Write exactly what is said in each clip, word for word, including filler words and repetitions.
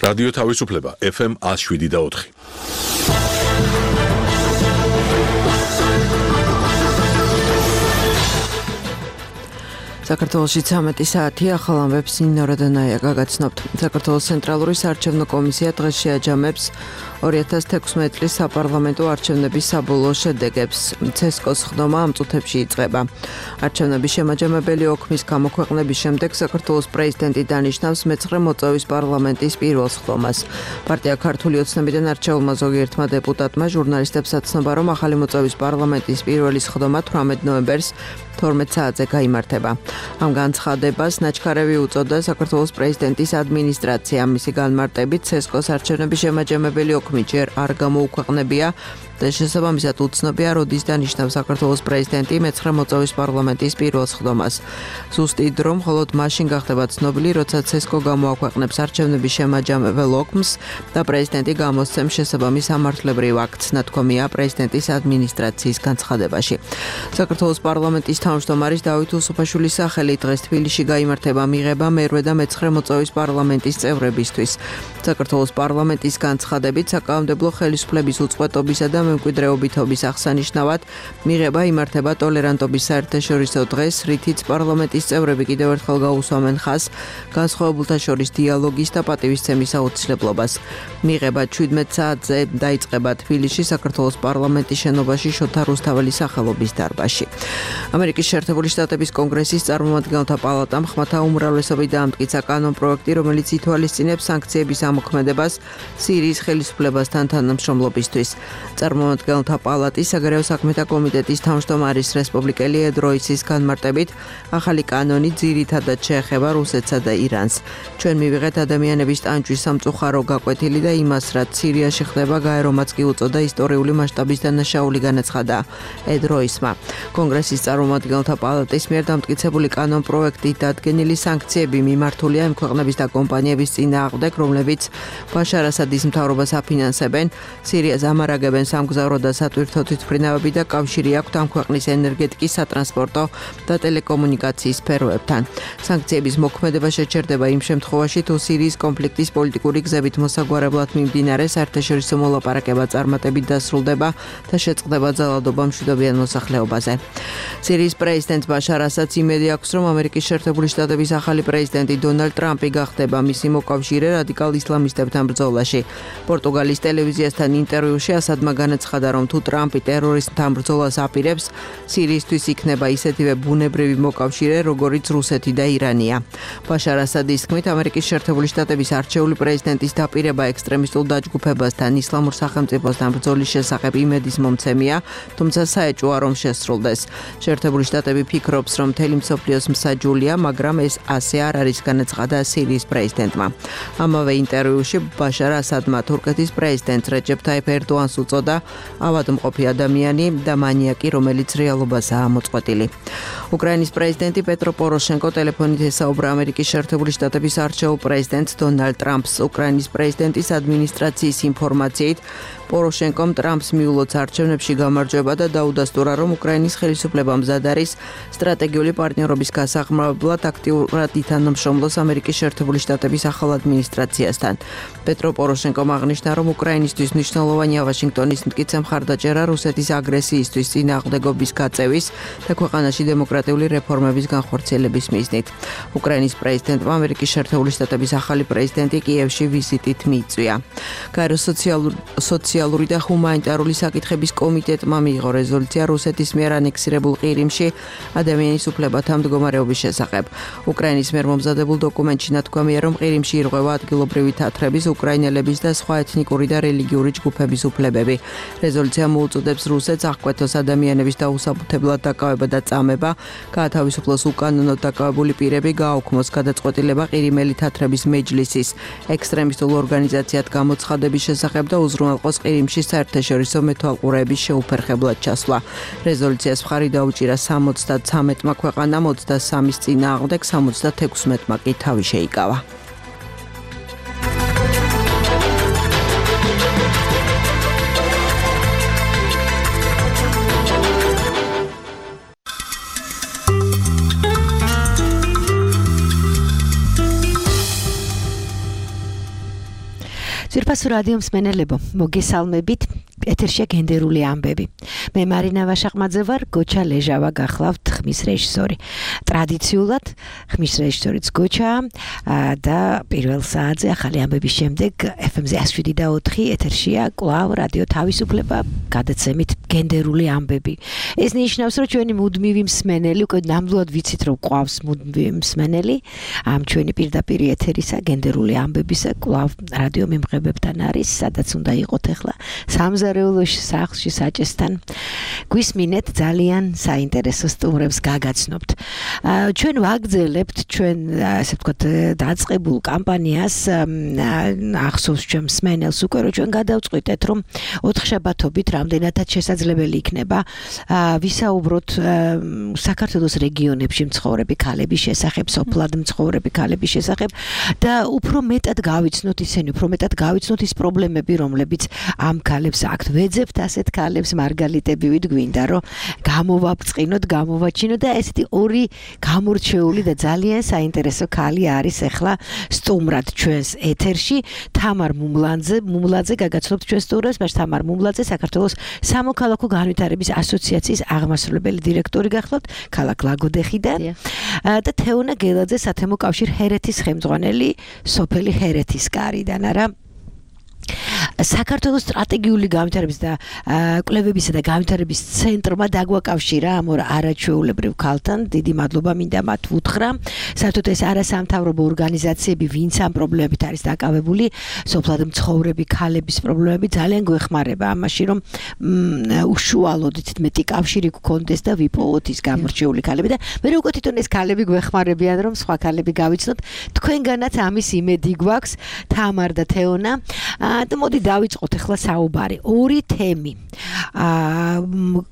რადიო თავისუფლება ეფ ემ one oh seven და four. საქართველოში ცამეტი საათი ახალ ამბებს ნინო რადანაია გაგაცნობთ. საქართველოს ცენტრალური საარჩევნო კომისია დღეს შეაჯამებს two thousand sixteen წლის საპარლამენტო არჩევნების საბოლოო შედეგებს. ცესკოს ხდომა ამ წუთებში იწყება. არჩევნების შემაჯამებელი ოქმის გამოქვეყნების შემდეგ საქართველოს პრეზიდენტი დანიშნავს მეცხრე მოწვევის პარლამენტის პირველ ხდომას. პარტია ქართული ოცნებიდან არჩეულმა ზოგიერთმა დეპუტატმა ჟურნალისტებსაც ცნობა, რომ ახალი მოწვევის პარლამენტის პირველი ხდომა თვრამეტ ნოემბერს თორმეტ საათზე გაიმართება. ამ განცხადებას ნაჩქარევი უწოდა საქართველოს პრეზიდენტის ადმინისტრაცია. მისი განმარტებით ცესკოს არჩევნების შემაჯამებელი ოქმი ჯერ არ გამოუქვეყნებია და შესაბამისად უცნობია, როდის დანიშნავს საქართველოს პრეზიდენტი მეცხრე მოწვევის პარლამენტის პირველ ხდომას. ზუსტი დრო მხოლოდ მაშინ გახდება ცნობილი, როცა ცესკო გამოაქვეყნებს არჩევნების შემაჯამებელ ოქმს და პრეზიდენტი გამოსცემს შესაბამის სამართლებრივ აქტს, ნათქვამია პრეზიდენტის ადმინისტრაციის განცხადებაში. საქართველოს პარლამენტის თავმჯდომარის დავით უსუფაშვილის სახელით დღეს თბილისში გაიმართება მიღება მერვე და მეცხრე მოწვევის პარლამენტის წევრებისთვის. საქართველოს პარლამენტის განცხადებით საკანონმდებლო ხელისუფლების უწყვეტობისა და მემკვიდრეობითობის აღსანიშნავად მიღება იმართება ტოლერანტობის საერთაშორისო დღეს, რითიც პარლამენტის წევრები კიდევ ერთხელ გაუსვამენ ხაზს განსხვავებულთა შორის დიალოგის და პატივისცემის აუცილებლობას. მიღება seventeen საათზე დაიწყება თბილისში საქართველოს პარლამენტის შენობაში შოთა რუსთაველის სახელობის დარბაზში. ამერიკის შეერთებული შტატების კონგრესის წარმომადგენელთა პალატამ ხმათა უმრავლესობით დაამტკიცა კანონპროექტი, რომელიც ითვალისწინებს სანქციების ამოქმედებას სირიის ხელისუფლებასთან თანამშრომლობისთვის. წარმომადგენელთა პალატის საგარეო საქმეთა კომიტეტის თავმჯდომარის რესპუბლიკელი ედ როისის განმარტებით ახალი კანონი ძირითადად შეეხება რუსეთსა და ირანს. ჩვენ მივიღეთ ადამიანების ტანჯვის სამწუხარო გაკვეთილი და იმას, რაც სირიაში ხდება, გაერომაც კი უწოდა ისტორიული მასშტაბის დანაშაული განაცხადა ედ როისმა. კონგრესის წარმომადგენელთა პალატის მიერ დამტკიცებული კანონპროექტით დადგენილი სანქციები მიმართულია იმ ქვეყნების და კომპანიების წინააღმდეგ, რომლებიც ბაშარ ასადის მთავრობას აფინანსებენ, სირიას ამარაგებენ სამგზავრო და სატვირთო თვითმფრინავები და კავშირი აქვთ ამ ქვეყნის ენერგეტიკის, სატრანსპორტო და ტელეკომუნიკაციის სფეროებთან. სანქციების მოქმედება შეჩერდება იმ შემთხვევაში, თუ სირიის კონფლიქტის პოლიტიკური გზებით მოსაგვარებლად მიმდინარე საერთაშორისო მოლაპარაკება წარმატებით დასრულდება და შეწყდება ძალადობა მშვიდობიან მოსახლეობაზე. სირიის პრეზიდენტ ბაშარ ასადს იმედი აქვს, რომ ამერიკის შეერთებული შტატების ახალი პრეზიდენტი დონალდ ტრამპი გახდება მისი მოკავშირე რადიკალ ისლამისტებთან ბრძოლაში. პორტუგალის ტელევიზიასთან ინტერვიუში ასადმა განაცხადა, რომ თუ ტრამპი ტერორისტთან ბრძოლას აპირებს, სირიისთვის იქნება ისეთივე ბუნებრივი მოკავშირე, როგორიც რუსეთი და ირანია. ბაშარ ასადის თქმით, ამერიკის შეერთებული შტატების არჩეული პრეზიდენტის დაპირება ექსტრემისტულ დაჯგუფებასთან, ისლამურ სახელმწიფოსთან ბრძოლის შესახებ იმედის მომცემია, თუმცა საეჭვოა, რომ შესრულდეს. შეერთებული შტატები ფიქრობს, რომ მთელი მსოფლიოს მსაჯულია, მაგრამ ეს ასე არ არის, განაცხადა სირიის პრეზიდენტმა. ამავე ინტერვიუში ბაშარ ასადმა თურქეთის პრეზიდენტს რეჯეფ ტაიფ ერდოანს უწოდა ავადმყოფი ადამიანი და მანიაკი, რომელიც რეალობასაა მოწყვეტილი. უკრაინის პრეზიდენტი პეტრო პოროშენკო ტელეფონით ესაუბრა ამერიკის შეერთებული შტატების არჩეულ პრეზიდენტს დონალდ ტრამპს. უკრაინის პრეზიდენტის ადმინისტრაციის ინფორმაციით პოროშენკომ ტრამპს მიულოცა არჩევნებში გამარჯვება და დაუდასტურა, რომ უკრაინის ხელისუფლება მზად არის სტრატეგიული პარტნიორობის გასაღრმავებლად აქტიურად ითანამშრომლოს ამერიკის შეერთებული შტატების ახალ ადმინისტრაციასთან. პეტრო პოროშენკომ აღნიშნა, რომ უკრაინისთვის მნიშვნელოვანია ვაშინგტონის მტკიცე მხარდაჭერა რუსეთის აგრესიისთვის წინააღმდეგობის გაწევის და ქვეყანაში დემოკრატიული რეფორმების განხორციელების მიზნით. უკრაინის პრეზიდენტმა ამერიკის შეერთებული შტატების ახალი პრეზიდენტი კიევში ვიზიტით მიიწვია. გაეროს სოციალური და ჰუმანიტარული საკითხების კომიტეტმა მიიღო რეზოლუცია რუსეთის მიერ ანექსირებულ ყირიმში ადამიანის უფლებათა მდგომარეობის შესახებ. უკრაინის მიერ მომზადებულ დოკუმენტში ნათქვამია, რომ ყირიმში ირღვევა ადგილობრივი თათრების, უკრაინელების და სხვა ეთნიკური და რელიგიური ჯგუფების უფლებები. რეზოლუცია მოუწოდებს რუსეთს აღკვეთოს ადამიანების დაუსაბუთებლად დაკავება და წამება, გაათავისუფლოს უკანონოდ დაკავებული პირები, გააუქმოს გადაწყვეტილება ყირიმელი თათრების მეჯლისის ექსტრემისტულ ორგანიზაციად გამოცხადების შესახებ და უზრუნველყოს ყირიმში საერთაშორისო მეთვალყურეების შეუფერხებლად ჩასვლა. რეზოლუციას მხარი დაუჭირა სამოცდათრამეტმა ქვეყანამ, ოცდასამის წინააღმდეგ სამოცდათექვსმეტმა კი თავი შეიკავა. საუფასო რადიო მსმენელებო, მოგესალმებით. ეთერშია გენდერული ამბები. მე მარინა ვაშაყმაძე ვარ, გოჩა ლეჟავა გახლავთ ხმის რეჟისორი. ტრადიციულად ხმის რეჟისორიც გოჩა და პირველ საათზე ახალი ამბების შემდეგ ეფ ემ-ზე εκ შვიდი და ოთხი ეთერშია კვლავ რადიო თავისუფლება გადაცემით გენდერული ამბები. ეს ნიშნავს, რომ ჩვენი მუდმივი მსმენელი, უკვე ნამდვილად ვიცით, რომ ყავს მუდმივი მსმენელი ამ ჩვენი პირდაპირ ეთერისა გენდერული ამბებისა კვლავ რადიო მიმღებებთან არის, სადაც უნდა იყოთ ახლა სამზარეულოში სახლში საჭესთან. გვისმინეთ ძალიან საინტერესო სტუმრებს გაგაცნობთ. ჩვენ ვაგრძელებთ ჩვენ ასე ვთქვათ დაწყებულ კამპანიას ახსოვს ჩვენ მსმენელს უკვე რომ ჩვენ გადავწყვიტეთ რომ ოთხშაბათობით რამდენადაც შესაძლებელი იქნება ვისაუბროთ საქართველოს რეგიონებში მცხოვრები ქალების შესახებ, სოფლად მცხოვრები ქალების შესახებ და უფრო მეტად გავიცნოთ ისინი, უფრო მეტად გავიცნოთ ის პრობლემები, რომლებიც ამ ქალებს აქვთ. ვეძებთ ასეთ ქალებს მარგალიტები ვით გვინდა რომ გამოვაბწყინოთ, გამოვაჩინოთ და ესეთი ორი გამორჩეული და ძალიან საინტერესო ქალი არის ახლა სტუმრად ჩვენს ეთერში. თამარ მუმლაძე, მუმლაძე გაგაცნობთ ჩვენს სტუმრებს, მას თამარ მუმლაძე საქართველოს სამოქალაქო განვითარების ასოციაციის აღმასრულებელი დირექტორი გახლავთ ქალაქ ლაგოდეხიდან და თეონა გელაძე სათემო კავშირ ჰერეთის ხელმძღვანელი სოფელი ჰერეთის კარიდან. არა საქართველოს სტრატეგიული განვითარების და კვლევებისა და განვითარების ცენტრმა დაგვაკავშირა ამ ორ არაჩვეულებრივ ქალთან. დიდი მადლობა მინდა მათ ვუთხრა. საერთოდ ეს არასამთავრობო ორგანიზაციები, ვინც ამ პრობლემებით არის დაკავებული, სოფლად მცხოვრები ქალების პრობლემები ძალიან გვეხმარება ამაში, რომ უშუალოდ მეტი კავშირი გქონდეს და ვიპოვოთ ის გამორჩეული ქალები და მე როგორ თვითონ ეს ქალები გვეხმარებიან, რომ სხვა ქალები გავიცნოთ. თქვენგანაც ამის იმედი გვაქვს, თამარ და თეონა. და მოდი დავიწყოთ ახლა საუბარი. ორი თემი.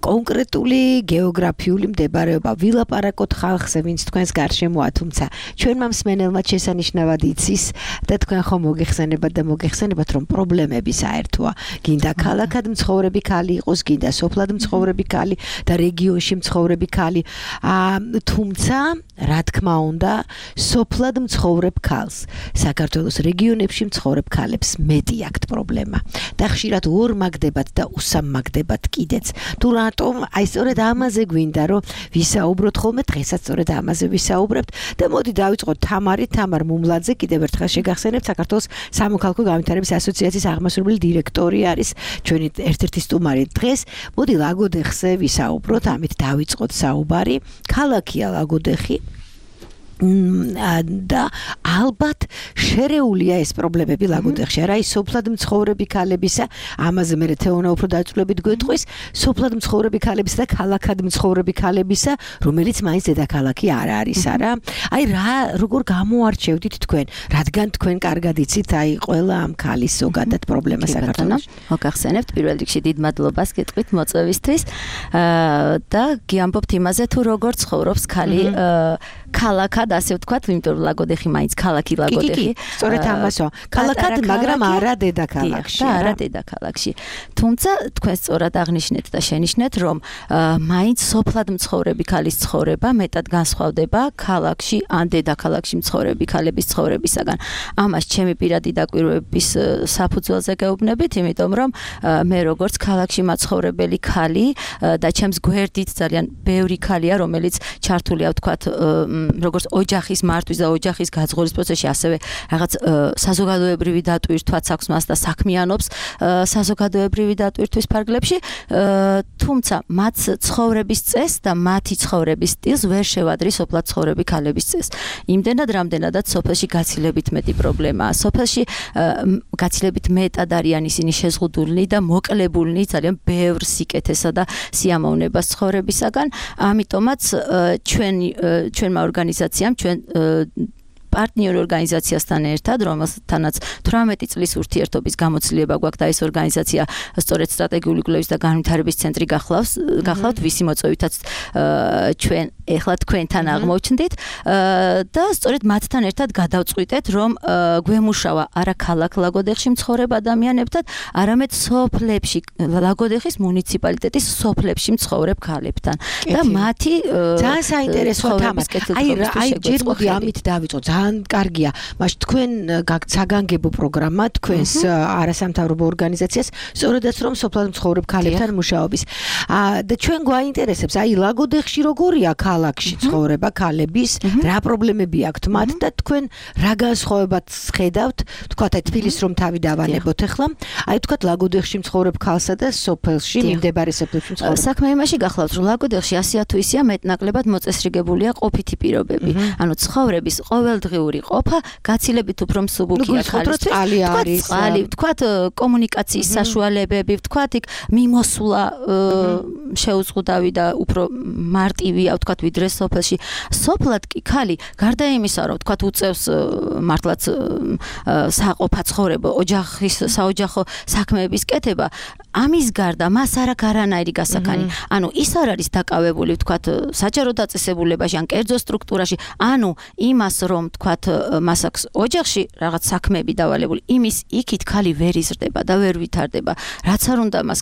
კონკრეტული გეოგრაფიული მდებარეობა, ვილაპარაკოთ ხალხზე, ვინც თქვენს გარშემოა, თუმცა ჩვენმა მსმენელმა შესანიშნავად იცის და თქვენ ხომ მოგეხსენებათ და მოგეხსენებათ, რომ პრობლემები საერთოა. გინდა ქალაქად მცხოვრები ქალი იყოს, გინდა სოფლად მცხოვრები ქალი და რეგიონში მცხოვრები ქალი. თუმცა, რა თქმა უნდა, სოფლად მცხოვრებ ქალს, საქართველოს რეგიონებში მცხოვრებ ქალებს მეტი აქვთ პრობლემა. და ხშირად ორმაგდებათ და უსამაგდებათ კიდეც. თუ რატომ აი სწორედ ამაზე გვინდა რომ ვისაუბროთ ხოლმე, დღესაც სწორედ ამაზე ვისაუბრებთ და მოდი დავიწყოთ თამარი, თამარ მუმლაძე, კიდევ ერთხელ შეგახსენებთ, საქართველოს სამოქალაქო განვითარების ასოციაციის აღმასრულებელი დირექტორი არის ჩვენი ერთ-ერთი სტუმარი დღეს. მოდი ლაგოდეხზე ვისაუბროთ, ამით დავიწყოთ საუბარი. ქალაქია ლაგოდეხი და ალბათ შერეულია ეს პრობლემები ლაგოდეხში. არა ის სოფლად მცხოვრები ქალებისა, ამაზე მე თეონა უფრო დაწვრილებით გვეტყვის, სოფლად მცხოვრები ქალებისა და ქალაქად მცხოვრები ქალებისა, რომელიც მაინც დედაქალაქი არ არის, არა? აი რა როგორ გამოარჩევდით თქვენ, რადგან თქვენ კარგად იცით აი ყველა ამ ქალის ზოგადად პრობლემა საქართველოში. მოგახსენებთ პირველ რიგში დიდ მადლობას გეტყვით მოწვევისთვის და გიამბობთ იმაზე თუ როგორ ცხოვრობს ქალი ქალაქად ასე ვთქვათ, იმიტომ რომ ლაგოდეხი მაინც ქალაქი ლაგოდეხი. სწორედ ამასო. ქალაქად, მაგრამ არა დედაქალაქში. არა დედაქალაქში. თუმცა თქვენ სწორად აღნიშნეთ და შენიშნეთ, რომ მაინც სოფლად მცხოვრები ქალის ცხოვრება მეტად განსხვავდება ქალაქში ან დედაქალაქში მცხოვრები ქალების ცხოვრებისაგან. ამას ჩემი პირადი დაკვირვების საფუძველზე გეუბნებით, იმიტომ რომ მე როგორც ქალაქში მაცხოვრებელი ქალი და ჩემს გვერდით ძალიან ბევრი ქალია, რომელიც ჩართულია ვთქვათ როგორც ოჯახის მართვის და ოჯახის გაძღობის პროცესში, ასევე რაღაც საზოგადოებრივი დატვირთვაც აქვს მას და საქმიანობს საზოგადოებრივი დატვირთვის ფარგლებში, თუმცა მათ ცხოვრების წესს და მათი ცხოვრების სტილს ვერ შევადრი სოფლად ცხოვრები ქალების წესს. იმდენად, რამდენადაც სოფელში გაცილებით მეტი პრობლემაა. სოფელში გაცილებით მეტად არიან ისინი შეზღუდულნი და მოკლებულნი ძალიან ბევრ სიკეთესა და სიამოვნებას ცხოვრებისაგან. ამიტომაც ჩვენი ჩვენმა ორგანიზაციამ ჩვენ პარტნიორ ორგანიზაციასთან ერთად, რომელთანაც თვრამეტი წლის ურთიერთობის გამოცდილება გვაქვს და ეს ორგანიზაცია სწორედ სტრატეგიული კვლევის და განვითარების ცენტრი გახლავს, გახლავთ, ვისი მოწვევითაც ჩვენ ეხლა თქვენთან აღმოჩნდით და სწორედ მათთან ერთად გადავწყვიტეთ, რომ გვემუშავა არა ქალაქ ლაგოდეხში მცხოვრებ ადამიანებთან, არამედ სოფლებში, ლაგოდეხის მუნიციპალიტეტის სოფლებში მცხოვრებ ქალებთან და მათი ძალიან საინტერესო თემა. აი, აი ჯერ მოდი ამით დავიწყოთ. ძალიან კარგია. მაშ თქვენ საგანგებო პროგრამა თქვენს არასამთავრობო ორგანიზაციას სწორედაც რომ სოფლად მცხოვრებ ქალებთან მუშაობის. და ჩვენ გვაინტერესებს, აი ლაგოდეხში როგორია ქალაქში ცხოვრება ქალების, რა პრობლემები აქვთ მათ და თქვენ რა განსხვავებაც ხედავთ, თქვათ აი თბილისს რომ თავი დავანებოთ ახლა, აი თქვათ ლაგოდეხში მცხოვრებ ქალსა და სოფელში მიმდებარე სოფელში მცხოვრებ. საქმე იმაში გახლავთ, რომ ლაგოდეხში ასია თუ ისია მეტნაკლებად მოწესრიგებულია ყოფითი პირობები. ანუ ცხოვრების ყოველდღიური ყოფა გაცილებით უფრო მსუბუქია ხალხისთვის. თქვათ წყალი, თქვათ კომუნიკაციის საშუალებები, თქვათ იქ მიმოსვლა შეუზღუდავი და უფრო მარტივია, თქვათ ვიდრე სოფელში. სოფლად კი ქალი გარდა იმისა, რომ თქვათ უწევს მართლაც საყოფა ცხოვრება, ოჯახის საოჯახო საქმეების კეთება, ამის გარდა მას არ აქვს არანაირი გასახანი. ანუ ის არ არის დაკავებული, თქვათ, საჯარო დაწესებულებაში ან კერძო სტრუქტურაში, ანუ იმას რომ თქვათ, მას აქვს ოჯახში რაღაც საქმეები დავალებული, იმის იქით ქალი ვერ იზრდება და ვერ ვითარდება. რაც არ უნდა მას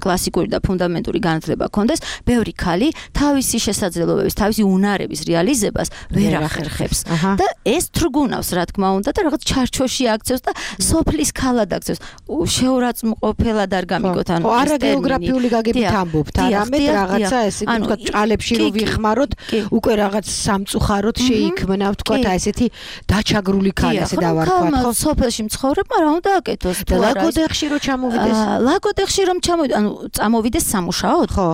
კლასიკური და ფუნდამენტური განათლება ჰქონდეს, ბევრი ქალი თავისი შესაძლებლობების, თავისი უნარების რეალიზებას ვერ ახერხებს. და ეს თრგუნავს, რა თქმა უნდა, და რაღაც ჩარჩოში აქცევს და სოფლის ქალად აქცევს. შეურაცხმყოფელად არ გამიგოთ, ანუ არა გეოგრაფიული გაგებით ამბობთ, არამედ რაღაცა ესე თქვა ჭალებში რო ვიხმაროთ, უკვე რაღაც სამწუხაროდ შეიქმნა, თქვა ესეთი დაჩაგრული ქალი, ასე დავარქვათ, ხო? სოფელში მცხოვრებმა რა უნდა აკეთოს? და ლაგოდეხში რო ჩამოვიდეს? ლაგოდეხში რომ ჩამოვიდეს, ანუ წამოვიდეს სამუშაოდ? ხო.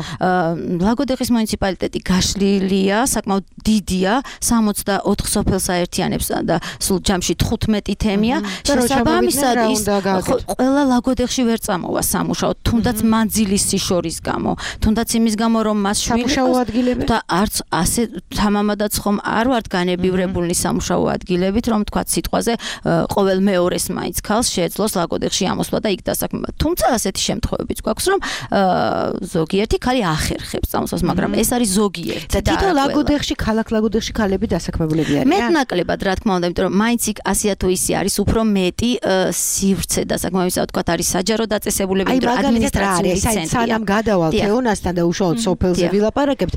ლაგოდეხის მუნიციპალიტეტი გაშლილია, საკმაოდ დიდია, სამოცდაოთხ სოფელს აერთიანებს და სულ ჯამში თხუთმეტი თემია. შესაბამისად ის ყველა ლაგოდეხში ვერ წამოვა სამუშაოდ, თუნდაც მანძილის სიშორის გამო, თუნდაც იმის გამო რომ მას სამუშაო ადგილები და არც ასე თამამადაც ხომ არ ვართ განებივრებულნი სამუშაო ადგილებით, რომ თქვა სიტყვაზე ყოველ მეორეს მაინც ქალს შეეძლოს ლაგოდეხში ამოსვლა და იქ დასაქმება. თუმცა ასეთი შემთხვევები გვაქვს, რომ ზოგიერთი ქალი ახერხებს წამოსვლას, მაგრამ ეს არის ზოგიერთი და თვითონ ლაგოდეხში, ქალაქ ლაგოდეხში ქალები დასაქმებულები არიან. მეტნაკლებად, რა თქმა უნდა, იმიტომ რომ მაინც იქ ასია თუ ისე არის უფრო მეტი სივრცე დასაქმებისა, თქვათ არის საჯარო დაწესებულება, იმიტომ რომ ადმინისტრაციული ცენტრია. სანამ გადავალ თეონასთან და უშუალოდ სოფელზე ვილაპარაკებთ,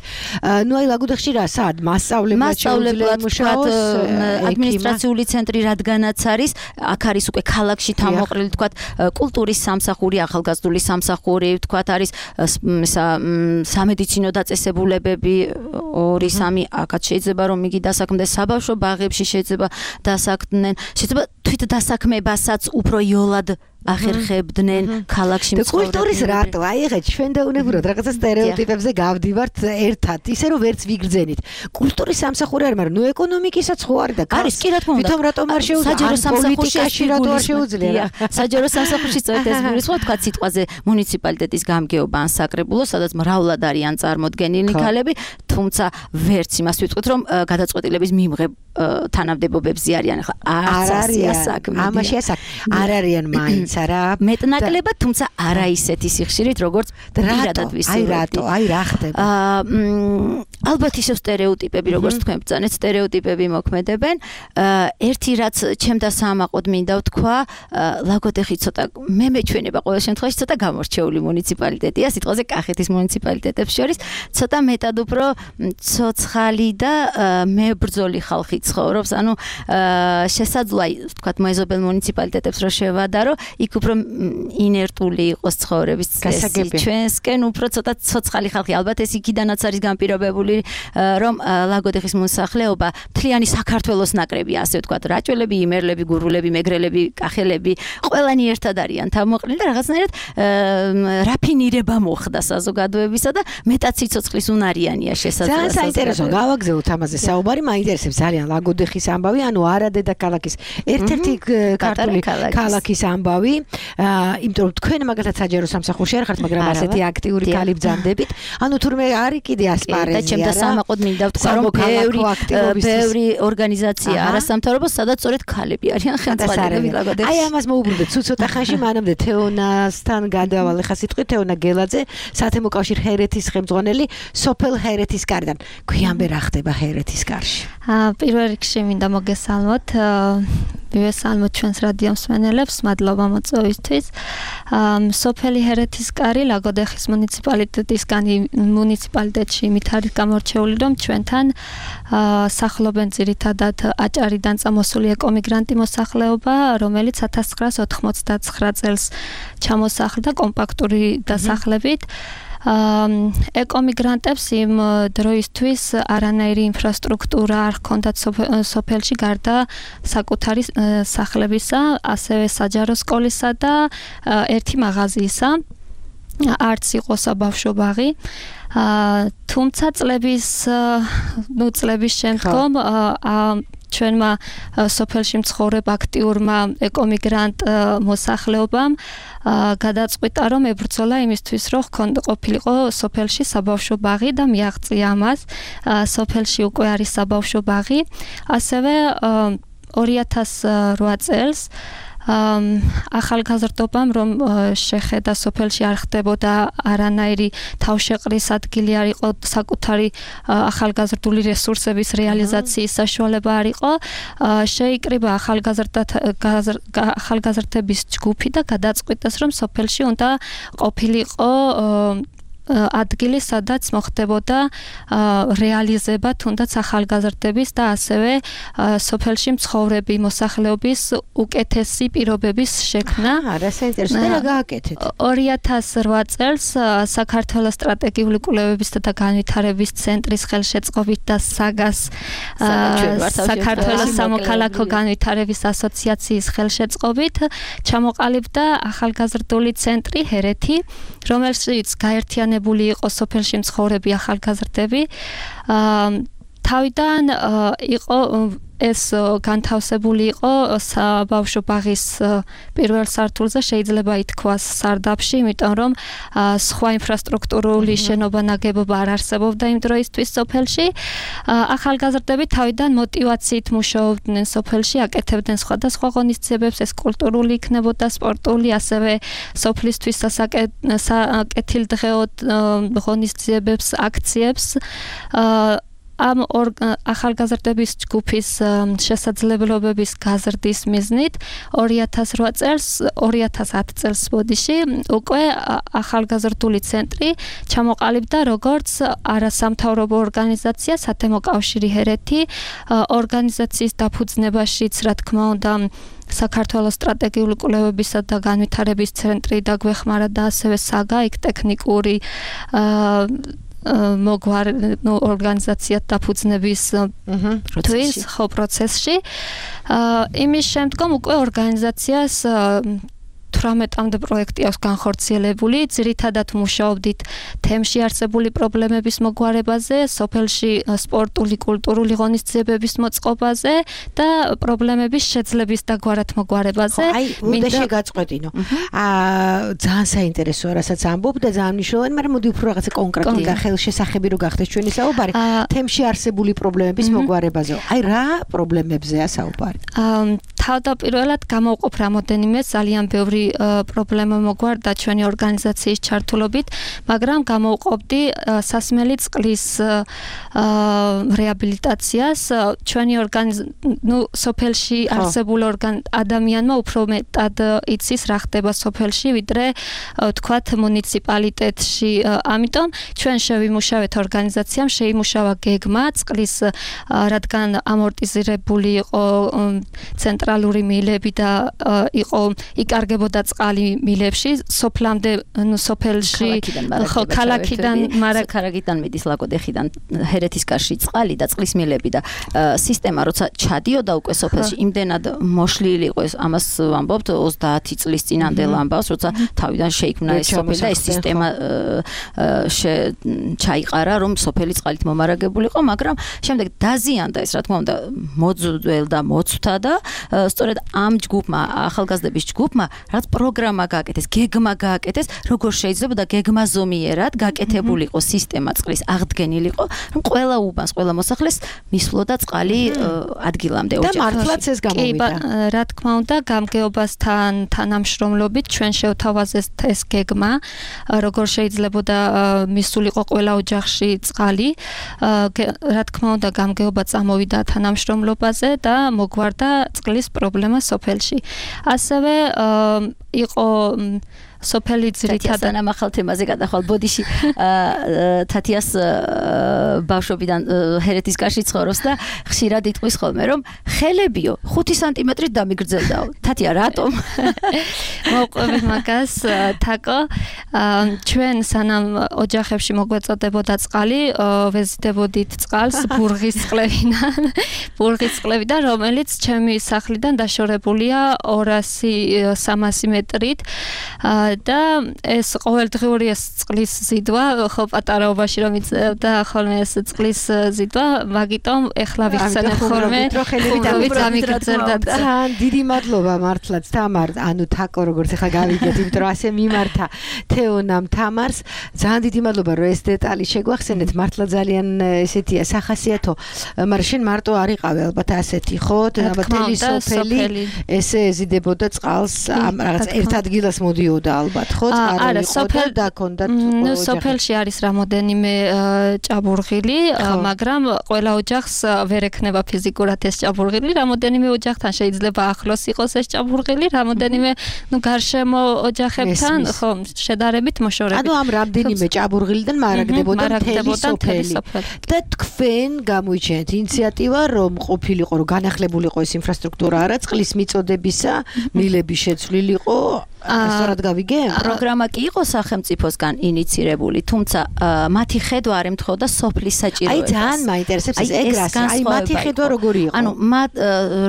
ნუ აი ლაგოდეხში რა სად მასწავლებლად შეუძლია მუშაოს ადმინისტრაციული ცენტრი, რადგანაც არის, აქ არის უკვე ქალაქში თავმოყრილი, თქვათ, კულტურის სამსახური, ახალგაზრდული სამსახური, თქვათ არის სამედიცინო დაწესებულებები, ორი სამი აქაც შეიძლება რომ იგი დასაქმდეს, საბავშვო ბაღებში შეიძლება დასაქმდნენ, შეიძლება თვით დასაქმებასაც უფრო იოლად ახერხებდნენ ქალაქში მცხოვრებნი. კულტურის რატო? აი ეხლა ჩვენ დაუნებურად რაღაცა სტერეოტიპებზე გავდივართ ერთად, ისე რომ ვერც ვიგრძენით. კულტურის სამსახური არის, მაგრამ ნუ ეკონომიკისაც ხო არის და არის, კი რა თქმა უნდა. თვითონ რატომ არ შეუძლია? საჯარო სამსახურში რატო არ შეუძლია? საჯარო სამსახურში სწორედ ეს გულისხმობ, თქვა სიტყვაზე მუნიციპალიტეტის გამგეობა ან საკრებულო, სადაც მრავლად არიან წარმოდგენილნი ქალები, თუმცა ვერც იმას ვიტყვით, რომ გადაწყვეტილების მიმღებ თანამდებობებზე არიან. ახლა არც ასია საქმე. ამაშია საქმე. არ არიან მაინც არა მეტნაკლებად, თუმცა არა ისეთი სიხშირით, როგორც პირადად ვისურვებდი. აი რატო? აი რა ხდება? ალბათ ისევ სტერეოტიპები, როგორც თქვენ ბრძანეთ, სტერეოტიპები მოქმედებენ. ერთი რაც ჩემდა საამაყოდ მინდა ვთქვა, ლაგოდეხი ცოტა მე მეჩვენება ყოველ შემთხვევაში ცოტა გამორჩეული მუნიციპალიტეტია, სიტყვაზე კახეთის მუნიციპალიტეტებს შორის, ცოტა მეტად უფრო ცოცხალი და მებრძოლი ხალხი ცხოვრობს, ანუ შესაძლოა ვთქვათ მოეზობელ მუნიციპალიტეტებს რო შევადარო, იქ უფრო ინერტული იყოს ცხოვრების წესი. ჩვენსკენ უფრო ცოტა ცოცხალი ხალხი, ალბათ ეს იქიდანაც არის განპირობებული, რომ ლაგოდეხის მოსახლეობა მთლიანი საქართველოს ნაკრებია, ასე ვთქვათ, რაჭველები, იმერლები, გურულები, მეგრელები, კახელები, ყველანი ერთად არიან თავმოყრილი და რაღაცნაირად რაფინირება მოხდა საზოგადოებისა და მეტად სიცოცხლის უნარიანია შესაძლოა. ძალიან საინტერესო, გავაგზავნოთ ამაზე საუბარი, მაინტერესებს ძალიან ლაგოდეხის ამბავი, ანუ არადედა ქალაქის ერთ-ერთი ქართული ქალაქის ამბავი, იმიტომ რომ თქვენ მაგალითად საჯარო სამსახურში არ ხართ, მაგრამ ასეთი აქტიური ქალი ბრძანდებით, ანუ თურმე არის კიდე ასპარეზი. და ჩემდა სამაყოდ მინდა ვთქვა, რომ ბევრი ბევრი ორგანიზაცია არასამთავრობო, სადაც სწორედ ქალები არიან ხელმძღვანელები ლაგოდეხში. აი ამას მოუბრუნდეთ, თუ ცოტა ხანში მანამდე თეონასთან გადავალ, ხა სიტყვი თეონა გელაძე, საათემო კავშირ ჰერეთის ხელმძღვანელი, სოფელ ჰერეთის კარიდან. გვიანბე რა ხდება ჰერეთის კარში? პირველ რიგში მინდა მოგესალმოთ. მივესალმოთ ჩვენს რადიო მსმენელებს, მადლობა მოწვევისთვის. სოფელი ჰერეთის კარი ლაგოდეხის მუნიციპალიტეტისგან მუნიციპალიტეტში მით არის გამორჩეული, რომ ჩვენთან სახლობენ ძირითადად აჭარიდან წამოსული ეკომიგრანტი მოსახლეობა, რომელიც ათას ცხრაას ოთხმოცდათცხრა წელს ჩამოსახლდა კომპაქტური დასახლებით. ეკომიგრანტებს იმ დროისთვის არანაირი ინფრასტრუქტურა არ ჰქონდათ სოფელში გარდა საკუთარი სახლებისა, ასევე საჯარო სკოლისა და ერთი მაღაზიისა. არც იყო საბავშვო ბაღი. თუმცა წლების ნუ წლების შემდგომ ჩვენმა სოფელში მცხოვრებ აქტიურმა ეკომიგრანტ მოსახლეობამ გადაწყვიტა, რომ ებრძოლა იმისთვის, რომ ყოფილიყო სოფელში საბავშვო ბაღი და მიაღწია ამას. სოფელში უკვე არის საბავშვო ბაღი. ასევე ორი ათას რვა წელს ახალგაზრდობამ, რომ შეხედა სოფელში არ ხდებოდა არანაირი თავშეყრის ადგილი არ იყო, საკუთარი ახალგაზრდული რესურსების რეალიზაციის საშუალება არ იყო, შეიკრიბა ახალგაზრდების ჯგუფი და გადაწყვიტეს, რომ სოფელში უნდა ყოფილიყო ადგილი, სადაც მოხდებოდა რეალიზება თუნდაც ახალგაზრდების და ასევე სოფელში მცხოვრები მოსახლეობის უკეთესი პირობების შექმნა. არა, საინტერესოა რა გააკეთეთ. ორი ათას რვა წელს საქართველოს სტრატეგიული კვლევებისა და განვითარების ცენტრის ხელშეწყობით და საგას საქართველოს სამოქალაქო განვითარების ასოციაციის ხელშეწყობით ჩამოყალიბდა ახალგაზრდული ცენტრი ჰერეთი, რომელშიც გაერთიანებული იყო სოფელში მცხოვრები ახალგაზრდები. თავიდან იყო ეს განთავსებული იყო საბავშვო ბაღის პირველ სართულზე, შეიძლება ითქვას სარდაფში, იმიტომ რომ სხვა ინფრასტრუქტურული შენობა ნაგებობა არ არსებობდა იმ დროისთვის სოფელში. ახალგაზრდები თავიდან მოტივაციით მუშაობდნენ სოფელში, აკეთებდნენ სხვადასხვა ღონისძიებებს, ეს კულტურული იქნებოდა, სპორტული, ასევე სოფლისთვის საკეთილდღეოდ ღონისძიებებს, აქციებს. ამ ახალგაზრდების ჯგუფის შესაძლებლობების გაზრდის მიზნით ორი ათას რვა წელს, ორი ათას ათ წელს ბოდიში უკვე ახალგაზრდული ცენტრი ჩამოყალიბდა როგორც არასამთავრობო ორგანიზაცია, სათემო კავშირი ჰერეთი, ორგანიზაციის დაფუძნებაშიც, რა თქმა უნდა, საქართველოს სტრატეგიული კვლევებისა და განვითარების ცენტრი დაგვეხმარა და ასევე საგა, იქ ტექნიკური მოგვარ ორგანიზაციად დაფუძნების პროცესში. იმის შემდგომ უკვე ორგანიზაციას თვრამეტამდე პროექტი აქვს განხორციელებული, ძირითადად მუშაობდით თემში არსებული პრობლემების მოგვარებაზე, სოფელში სპორტული, კულტურული ღონისძიებების მოწყობაზე და პრობლემების შეძლების დაგვარად მოგვარებაზე. აი, მინდა შეგაწყვეტინო. აა, ძალიან საინტერესოა, რასაც ამბობ და ძალიან მნიშვნელოვანი, მაგრამ მოდი უფრო რაღაცა კონკრეტული და ხელშესახები რო გახდეს ჩვენი საუბარი, თემში არსებული პრობლემების მოგვარებაზე. აი, რა პრობლემებზეა საუბარი? აა, თავდაპირველად გამოვყოფ რამოდენიმე ძალიან ბევრი პრობლემა მოგვარდა ჩვენი ორგანიზაციის ჩართულობით, მაგრამ გამოვყოფდი სასმელი წყლის რეაბილიტაციას. ჩვენი ნუ სოფელში არსებულ ადამიანმა უფრო მეტად იცის რა ხდება სოფელში, ვიდრე თქვათ მუნიციპალიტეტში. ამიტომ ჩვენ შევიმუშავეთ ორგანიზაციამ, შეიმუშავა გეგმა წყლის, რადგან ამორტიზირებული იყო ცენტრალური მილები და იყო იკარგებოდა წყალი მილებში, სოფლამდე, ნუ სოფელში, ხო, ქალაქიდან, მაგრამ ქალაქიდან მიდის ლაკოდეხიდან ჰერეთის კარში წყალი და წყლის მილები და სისტემა როცა ჩადიოდა უკვე სოფელში, იმდენად მოშლილი იყო ეს, ამას ვამბობთ ოცდაათი წლის წინანდელ ამბავს, როცა თავიდან შეიქმნა ეს სოფელი და ეს სისტემა ჩაიყარა, რომ სოფელი წყალით მომარაგებული იყო, მაგრამ შემდეგ დაზიანდა ეს, რა თქმა უნდა, მოძველდა და მოცვთა და სწორედ ამ ჯგუფმა, ახალგაზრდების ჯგუფმა, რაც პროგრამა გააკეთეს, გეგმა გააკეთეს, როგორ შეიძლება და გეგმაზომიერად გაკეთებულიყო სისტემა წყლის, აღდგენილიყო, რომ ყველა უბანს, ყველა მოსახლეს მისვლოდა წყალი ადგილამდე ოჯახში. და მართლაც ეს გამოვიდა. რა თქმა უნდა, გამგეობასთან თანამშრომლობით ჩვენ შევთავაზეთ ეს გეგმა, როგორ შეიძლებოდა მისულიყო ყველა ოჯახში წყალი. რა თქმა უნდა, გამგეობა წამოვიდა თანამშრომლობაზე და მოგვარდა წყლის პრობლემა სოფელში. ასევე იყო სოფელი ძირითადად ამახალ თემაზე გადახვალ ბოდიში თათიას ბავშვობიდან ჰერეთის კარში ცხოვრობს და ხშირად იტყვის ხოლმე რომ ხელებიო ხუთი სანტიმეტრით დამიგრძელდაო. თათია რატომ? მოვყვებით მაგას თაკო ჩვენ სანამ ოჯახებში მოგვეწოდებოდა წყალი ვეზიდებოდით წყალს ბურღის წყლებიდან ბურღის წყლებიდან რომელიც ჩემი სახლიდან დაშორებულია ორასი სამასი მეტრით და ეს ყოველდღიური ეს წყლის ზიდვა ხო პატარაობაში რომ იწევდა ხოლმე ეს წყლის ზიდვა მაგიტომ ეხლა ვიხსენებ ხოლმე ხელებით დამიგრძელდა და დიდი მადლობა მართლაც თამარ ანუ თაკო როგორც ახლა გავიგეთ იმიტომ რომ ასე მიმართა თეონამ თამარს ძალიან დიდი მადლობა რომ ეს დეტალი შეგვახსენეთ მართლა ძალიან ესეთია სახასიათო მაგრამ შენ მარტო არ იყავი ალბათ ასეთი ხო და თელი სოფელი ესე ეზიდებოდა წყალს ამ რაღაც ერთ ადგილას მოდიოდა ალბათ ხო არა სოფელ და ქონდათ ნუ სოფელში არის რამოდენიმე ჭაბურღილი მაგრამ ყველა ოჯახს ვერ ექნება ფიზიკურად ეს ჭაბურღილი რამოდენიმე ოჯახთან შეიძლება ახლოს იყოს ეს ჭაბურღილი რამოდენიმე ნუ გარშემო ოჯახებთან ხო შედარებით მოშორებით ანუ ამ რამდენიმე ჭაბურღილიდან მარაგდებოდა მთელი სოფელი და თქვენ გამოიჩენთ ინიციატივა რომ ყოფილიყო რომ განახლებულიყო ეს ინფრასტრუქტურა არა წყლის მიწოდებისა მილების შეცვლილიყო სწორად გავიგე პროგრამა კი იყო სახელმწიფოსგან ინიცირებული თუმცა მათი ხედვა არ ემთხოვდა სოფლის საჭიროებას აი ძალიან მაინტერესებს ეს ეგრას აი მათი ხედვა როგორი იყო ანუ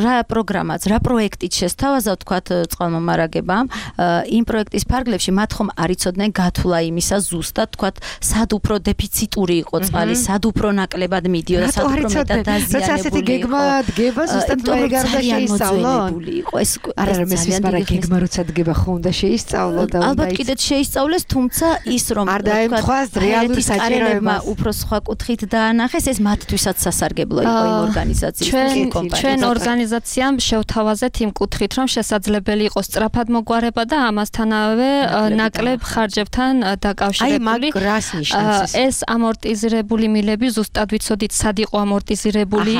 რა პროგრამაც რა პროექტით შესთავაზა თქვათ წყალმომარაგებამ იმ პროექტის ფარგლებში მათ ხომ არ იცოდნენ გათვლა იმისა ზუსტად თქვათ სად უფრო დეფიციტური იყო წყალი სად უფრო ნაკლებად მიდიოდა სად უფრო მეტად დაზიანებული იყო გეგმა დგება ზუსტად მე გარდა შეისწავლონ იყო ეს არა არა მე ის მაგრამ გეგმა როცა დგება ხომ და შეისწავლო და ალბათ კიდეც შეისწავლეს თუმცა ის რომ არ დაემთხვას რეალური საჭიროება უფრო სხვა კუთხით დაანახეს ეს მათთვისაც სასარგებლო იყო იმ ორგანიზაციის ჩვენ ორგანიზაციამ შევთავაზეთ იმ კუთხით რომ შესაძლებელი იყო სწრაფად მოგვარება და ამასთანავე ნაკლებ ხარჯებთან დაკავშირებული აი მაგ რას ნიშნავს ეს ამორტიზირებული მილები ზუსტად ვიცოდით სად იყო ამორტიზირებული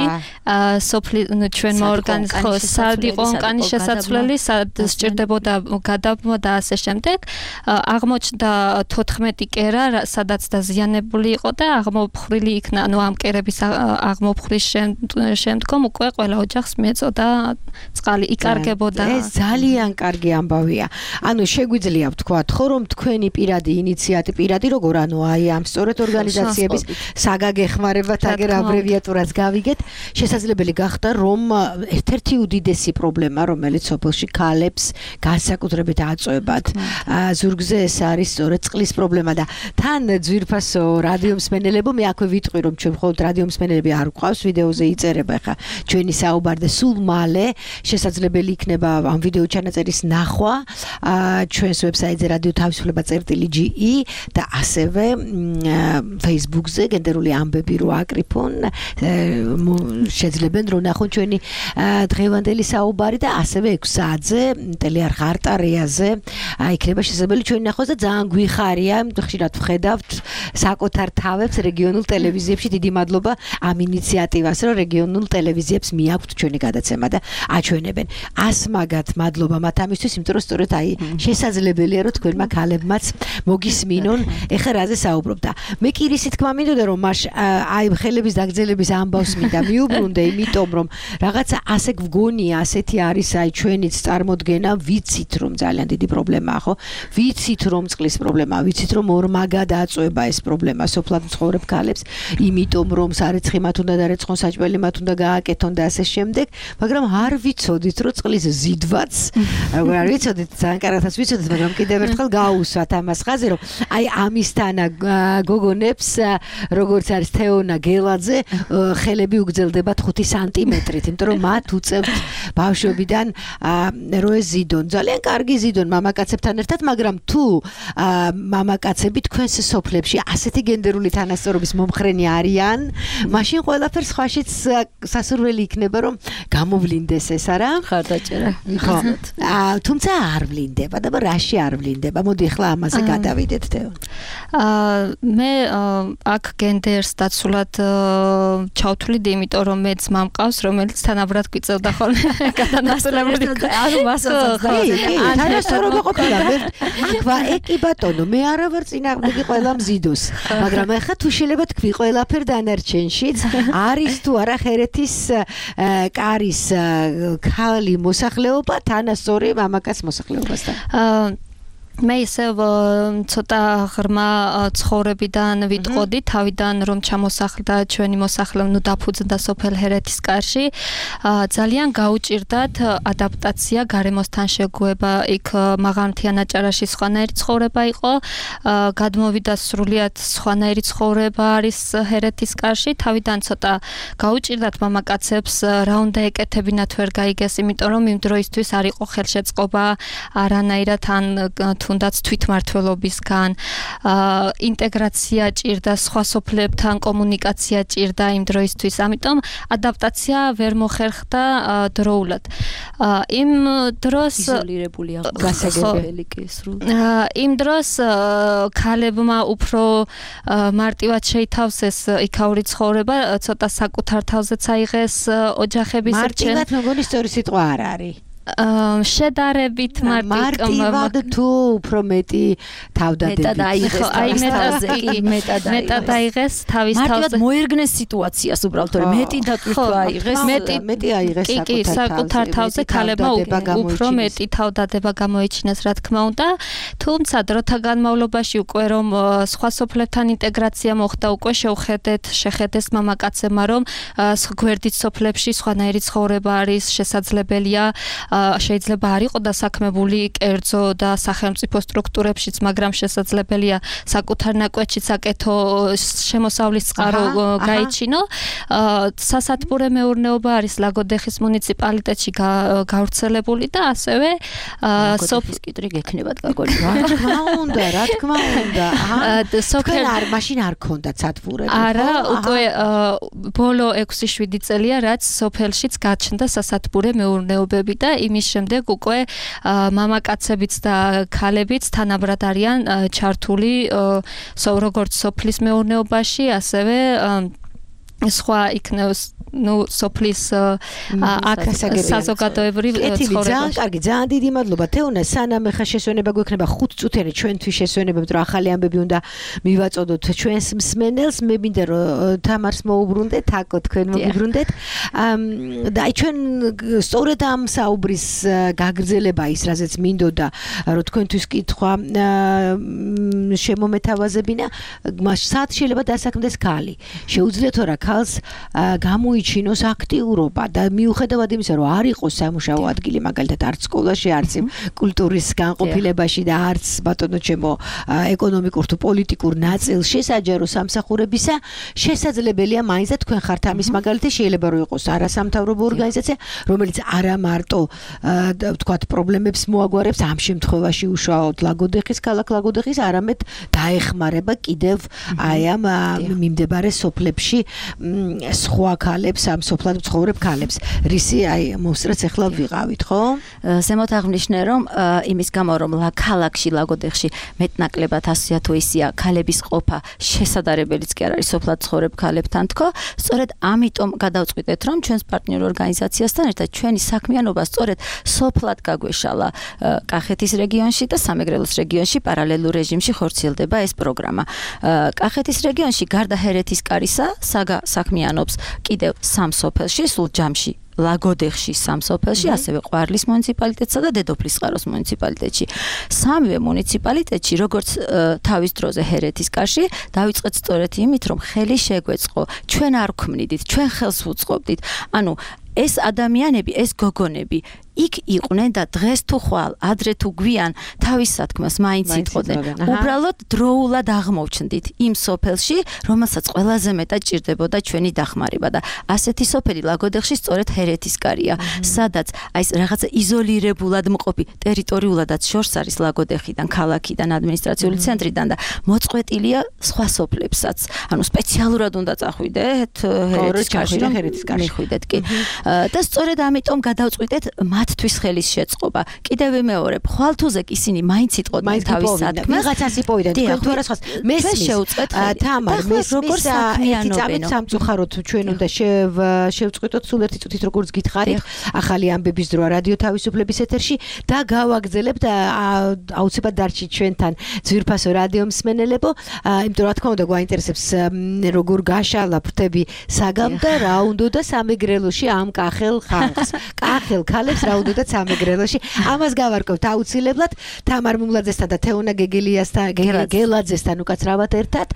სოფლი ჩვენმა ორგანიზაციამ სად იყო ონკანის შესაცვლელი სად სჭირდებოდა გადაბმვა და ასე შემდეგ აღმოჩნდა თოთხმეტი კერა სადაც დაზიანებული იყო და აღმოფხრილი იქნა ანუ ამ კერების აღმოფხრის შემდგომ უკვე ყველა ოჯახს მეწოდა წყალი იკარგებოდა ეს ძალიან კარგი ამბავია ანუ შეგვიძლია ვთქვათ ხო რომ თქვენი პირადი ინიციატივა პირადი როგორ ანუ აი ამ სწორედ ორგანიზაციების საგაგეხმარებათ აგერ აბრევიატურას გავიგეთ შესაძლებელი გახდა რომ ერთ-ერთი უდიდესი პრობლემა რომელიც სოფელში ქალებს განსაკუთრებით აწევებად ზურგზე ეს არის სწორედ წყლის პრობლემა და თან ძვირფასო რადიო მსმენელებო მე აქვე ვიტყვი რომ ჩვენ მხოლოდ რადიო მსმენელები არ გვყავს ვიდეოზე იწერება ხა ჩვენი საუბარი და სულ მალე შესაძლებელი იქნება ამ ვიდეო ჩანაწერის ნახვა ჩვენს ვებსაიტზე რადიო თავისუფლება წერტილი ჯი ი და ასევე Facebook-ზე გენდერული ამბები რო აკრიფონ შეძლებენ რომ ნახონ ჩვენი დღევანდელი საუბარი და ასევე ექვსი საათზე ტელეარხ არტარეაზე იქნება შესაძლებელი ჩვენი ნახოს და ძალიან გვიხარია ხშირად ვხედავთ საკუთარ თავებს რეგიონულ ტელევიზიებში დიდი მადლობა ამ ინიციატივას რომ რეგიონულ ტელევიზიებს მიაქვთ ჩვენი გადაცემა და აჩვენებენ ასმაგად მადლობა მათ ამისთვის იმიტომ რომ სწორედ აი შესაძლებელია რომ თქვენმა ქალებმაც მოგისმინონ ეხლა რაზე საუბრობ და მე კი რისი თქმა მინდოდა რომ მაშ აი ხელების დაგრძელების ამბავს მინდა მიუბრუნდე იმიტომ რომ რაღაცა ასე გვგონია ასეთი არის აი ჩვენიც წარმოდგენა ვიცით რომ ძალიან დიდი პრობლემაა ხო ვიცით რომ წყლის პრობლემაა ვიცით რომ ორმაგად აწვება ეს პრობლემა სოფლად მცხოვრებ ქალებს იმიტომ რომ სარეცხი მათ უნდა დარეცხონ საჭმელი მათ უნდა გააკეთონ და ასე შემდეგ მაგრამ არ ვიცოდით რომ წყლის ზიდვაც როგორ არ ვიცოდით ძალიან კარგად ვიცოდით მაგრამ კიდევ ერთხელ გაუსვათ ამას ხაზე რომ აი ამისთანა გოგონებს როგორც არის თეონა გელაძე ხელები უგრძელდებათ ხუთი სანტიმეტრით იმიტომ რომ მათ უწევთ ბავშვობიდან რო ეს ზიდონ ძალიან კარგი ზიდონ მამაკაცებთან ერთად მაგრამ თუ მამაკაცები თქვენს სოფლებში ასეთი გენდერული თანასწორობის მომხრენი არიან მაშინ ყველაფერს სხვაშიც სასურველი იქნება რომ გამოვლინდეს ეს არა? ხარდაჭერა. ხო. თუმცა არ ვლინდება და რაში არ ვლინდება? მოდი ახლა ამაზე გადავიდეთ თეო. აა მე აქ გენდერს დაცულად ჩავთვლიდი, იმიტომ რომ მეც მამყავს, რომელიც თანაბრად გვიწევდა ხოლმე გადანაწილებული. ანუ მასაც თანასწორობა ყოფილა. აქვა ეკი ბატონო, მე არა ვარ წინააღმდეგი ყველა მზიდოს, მაგრამ ახლა თუ შეიძლება თქვი ყველაფერ დანარჩენშიც არის თუ არა ხერეთის კარის ქალი მოსახლეობა თანასწორი მამაკაც მოსახლეობასთან. აა მე ისევ ცოტა ღრმა ცხოვრებიდან ვიტყოდი, თავიდან რომ ჩამოსახლდა ჩვენი მოსახლე, ნუ დაფუძნდა სოფელ ჰერეთის კარში, ძალიან გაუჭირდათ ადაპტაცია გარემოსთან შეგუება, იქ მაღალმთიან აჭარაში სხვანაირი ცხოვრება იყო, გადმოვიდა სრულიად სხვანაირი ცხოვრება არის ჰერეთის კარში, თავიდან ცოტა გაუჭირდათ მამაკაცებს, რა უნდა ეკეთებინათ ვერ გაიგეს, იმიტომ რომ იმ დროისთვის არ იყო ხელშეწყობა არანაირად ან თუნდაც თვითმმართველობისგან, ინტეგრაცია ჭირდა, სხვა სოფლებთან კომუნიკაცია ჭირდა იმ დროისთვის, ამიტომ ადაპტაცია ვერ მოხერხდა დროულად. იმ დროს იზოლირებული გასაგებელი კი სრულ. იმ დროს ქალებმა უფრო მარტივად შეითავსეს იქაური ცხოვრება, ცოტა საკუთარ თავზეც აიღეს ოჯახების რჩევა. მარტივად მეგონი სწორი სიტყვა არ არის. შედარებით მარტივად თუ უფრო მეტი თავდადებით. მეტად აიღეს აი მეტად მეტად აიღეს თავის თავზე. მარტივად მოერგნეს სიტუაციას უბრალოდ, რომ მეტი დატვირთვა აიღეს. მეტი მეტი აიღეს კი, კი, საკუთარ თავზე ქალებმა უფრო მეტი თავდადება გამოიჩინეს, რა თქმა უნდა. თუმცა დროთა განმავლობაში უკვე რომ სხვა სოფლებთან ინტეგრაცია მოხდა, უკვე შევხედეთ, შეხედეს მამაკაცებმა, რომ გვერდით სოფლებში სხვანაირი ცხოვრება არის შესაძლებელია. შეიძლება არ იყო დასაქმებული კერძო და სახელმწიფო სტრუქტურებშიც, მაგრამ შესაძლებელია საკუთარ ნაკვეთშიც აკეთო, შემოსავლის წყარო გაიჩინო. სასათბურე მეურნეობა არის ლაგოდეხის მუნიციპალიტეტში გავრცელებული და ასევე სოფლის კიტრი გექნებათ გაგონი. რა თქმა უნდა, რა თქმა უნდა. სოფელ არ მაშინ არ ქონდათ სათბურები. არა, უკვე ბოლო ექვსი შვიდი წელია, რაც სოფელშიც გაჩნდა სასათბურე მეურნეობები და იმის შემდეგ უკვე მამაკაცებიც და ქალებიც თანაბრად არიან ჩართული როგორც სოფლის მეურნეობაში, ასევე სხვა იქნებს ნუ სოფლის აქ საზოგადოებრივ ცხოვრებაში. ძალიან კარგი, ძალიან დიდი მადლობა თეონა, სანამ ხა შესვენება გვექნება ხუთ წუთიანი ჩვენთვის შესვენებებთ, რომ ახალი ამბები უნდა მივაწოდოთ ჩვენს მსმენელს, მე მინდა რომ თამარს მოუბრუნდეთ, აკო თქვენ მოუბრუნდეთ. და აი ჩვენ სწორედ ამ საუბრის გაგრძელება ის, რაზეც მინდოდა რომ თქვენთვის კითხვა შემომეთავაზებინა, მას სად შეიძლება დასაქმდეს ქალი. შეუძლიათ რა ქალს გამოიჩინოს აქტიურობა და მიუხედავად იმისა, რომ არ იყოს სამუშაო ადგილი, მაგალითად არც სკოლაში, არც კულტურის განყოფილებაში და არც ბატონო ჩემო ეკონომიკურ თუ პოლიტიკურ ნაწილ შესაჯარო სამსახურებისა, შესაძლებელია მაინც და თქვენ ხართ ამის მაგალითი, შეიძლება რომ იყოს არასამთავრობო ორგანიზაცია, რომელიც არა მარტო თქვათ პრობლემებს მოაგვარებს ამ შემთხვევაში უშუალოდ ლაგოდეხის, ქალაქ ლაგოდეხის, არამედ დაეხმარება კიდევ აი ამ მიმდებარე სოფლებში სხვა ქალებს, ამ სოფლად მცხოვრებ ქალებს. რისი აი მოსწრაც ახლა ვიღავით, ხო? ზემოთ აღნიშნე, რომ იმის გამო, რომ ქალაქში, ლაგოდეხში მეტნაკლებად ასია თუ ისია ქალების ყოფა შესაძლებელიც კი არ არის სოფლად მცხოვრებ ქალებთან თქო, სწორედ ამიტომ გადავწყვიტეთ, რომ ჩვენს პარტნიორ ორგანიზაციასთან ერთად ჩვენი საქმიანობა სწორედ სოფლად გაგვეშალა კახეთის რეგიონში და სამეგრელოს რეგიონში პარალელურ რეჟიმში ხორციელდება ეს პროგრამა. კახეთის რეგიონში გარდა ჰერეთის კარისა საქმიანობს კიდევ სამ სოფელში, სულ ჯამში ლაგოდეხში სამ სოფელში, ასევე ყვარლის მუნიციპალიტეტსა და დედოფლისწყაროს მუნიციპალიტეტში. სამივე მუნიციპალიტეტში, როგორც თავის დროზე ჰერეთის კარში, დავიწყეთ სწორედ იმით, რომ ხელი შეგვეწყო, ჩვენ არ გვქმნიდით, ჩვენ ხელს ვუწყობდით. ანუ ეს ადამიანები, ეს გოგონები იქ იყვნენ და დღეს თუ ხვალ, ადრე თუ გვიან თავის სათქმას მაინც იტყოდნენ. უბრალოდ დროულად აღმოჩნდით იმ სოფელში, რომელსაც ყველაზე მეტად ჭირდებოდა ჩვენი დახმარება და ასეთი სოფელი ლაგოდეხში სწორედ ჰერეთისკარია, სადაც აი ეს რაღაცა იზოლირებულად მყოფი ტერიტორიულადაც შორს არის ლაგოდეხიდან, ქალაქიდან, ადმინისტრაციული ცენტრიდან და მოწყვეტილია სხვა სოფლებსაც. ანუ სპეციალურად უნდა წახვიდეთ ჰერეთისკარში, რომ მიხვიდეთ კი. და სწორედ ამიტომ გადავწყვიტეთ მათთვის ხელის შეწყობა. კიდევ ვიმეორებ, ხვალთუზეკ ისინი მაინც იტყოდნენ თავის სათქმას. ვიღაცას იპოვდნენ, თქვენ თუ არასხას მესმის შეუწყვეთ. თამარ, მესმის ერთი წამით სამწუხაროდ ჩვენ უნდა შევწყვიტოთ სულ ერთი წუთით როგორც გითხარით. ახალი ამბების დროა რადიო თავისუფლების ეთერში და გავაგზელებთ აუცილებლად დარჩით ჩვენთან ძვირფასო რადიო მსმენელებო, იმიტომ რა თქმა უნდა გვაინტერესებს როგორ გაშალა ფრთები საგამ და რა უნდოდა სამეგრელოში ამ კახელ ხალხს. კახელ ქალებს რა უნდოდა სამეგრელოში. ამას გავარკვევთ აუცილებლად თამარ მუმლაძესთან და თეონა გეგელიასთან, გელაძესთან უკაცრავად ერთად.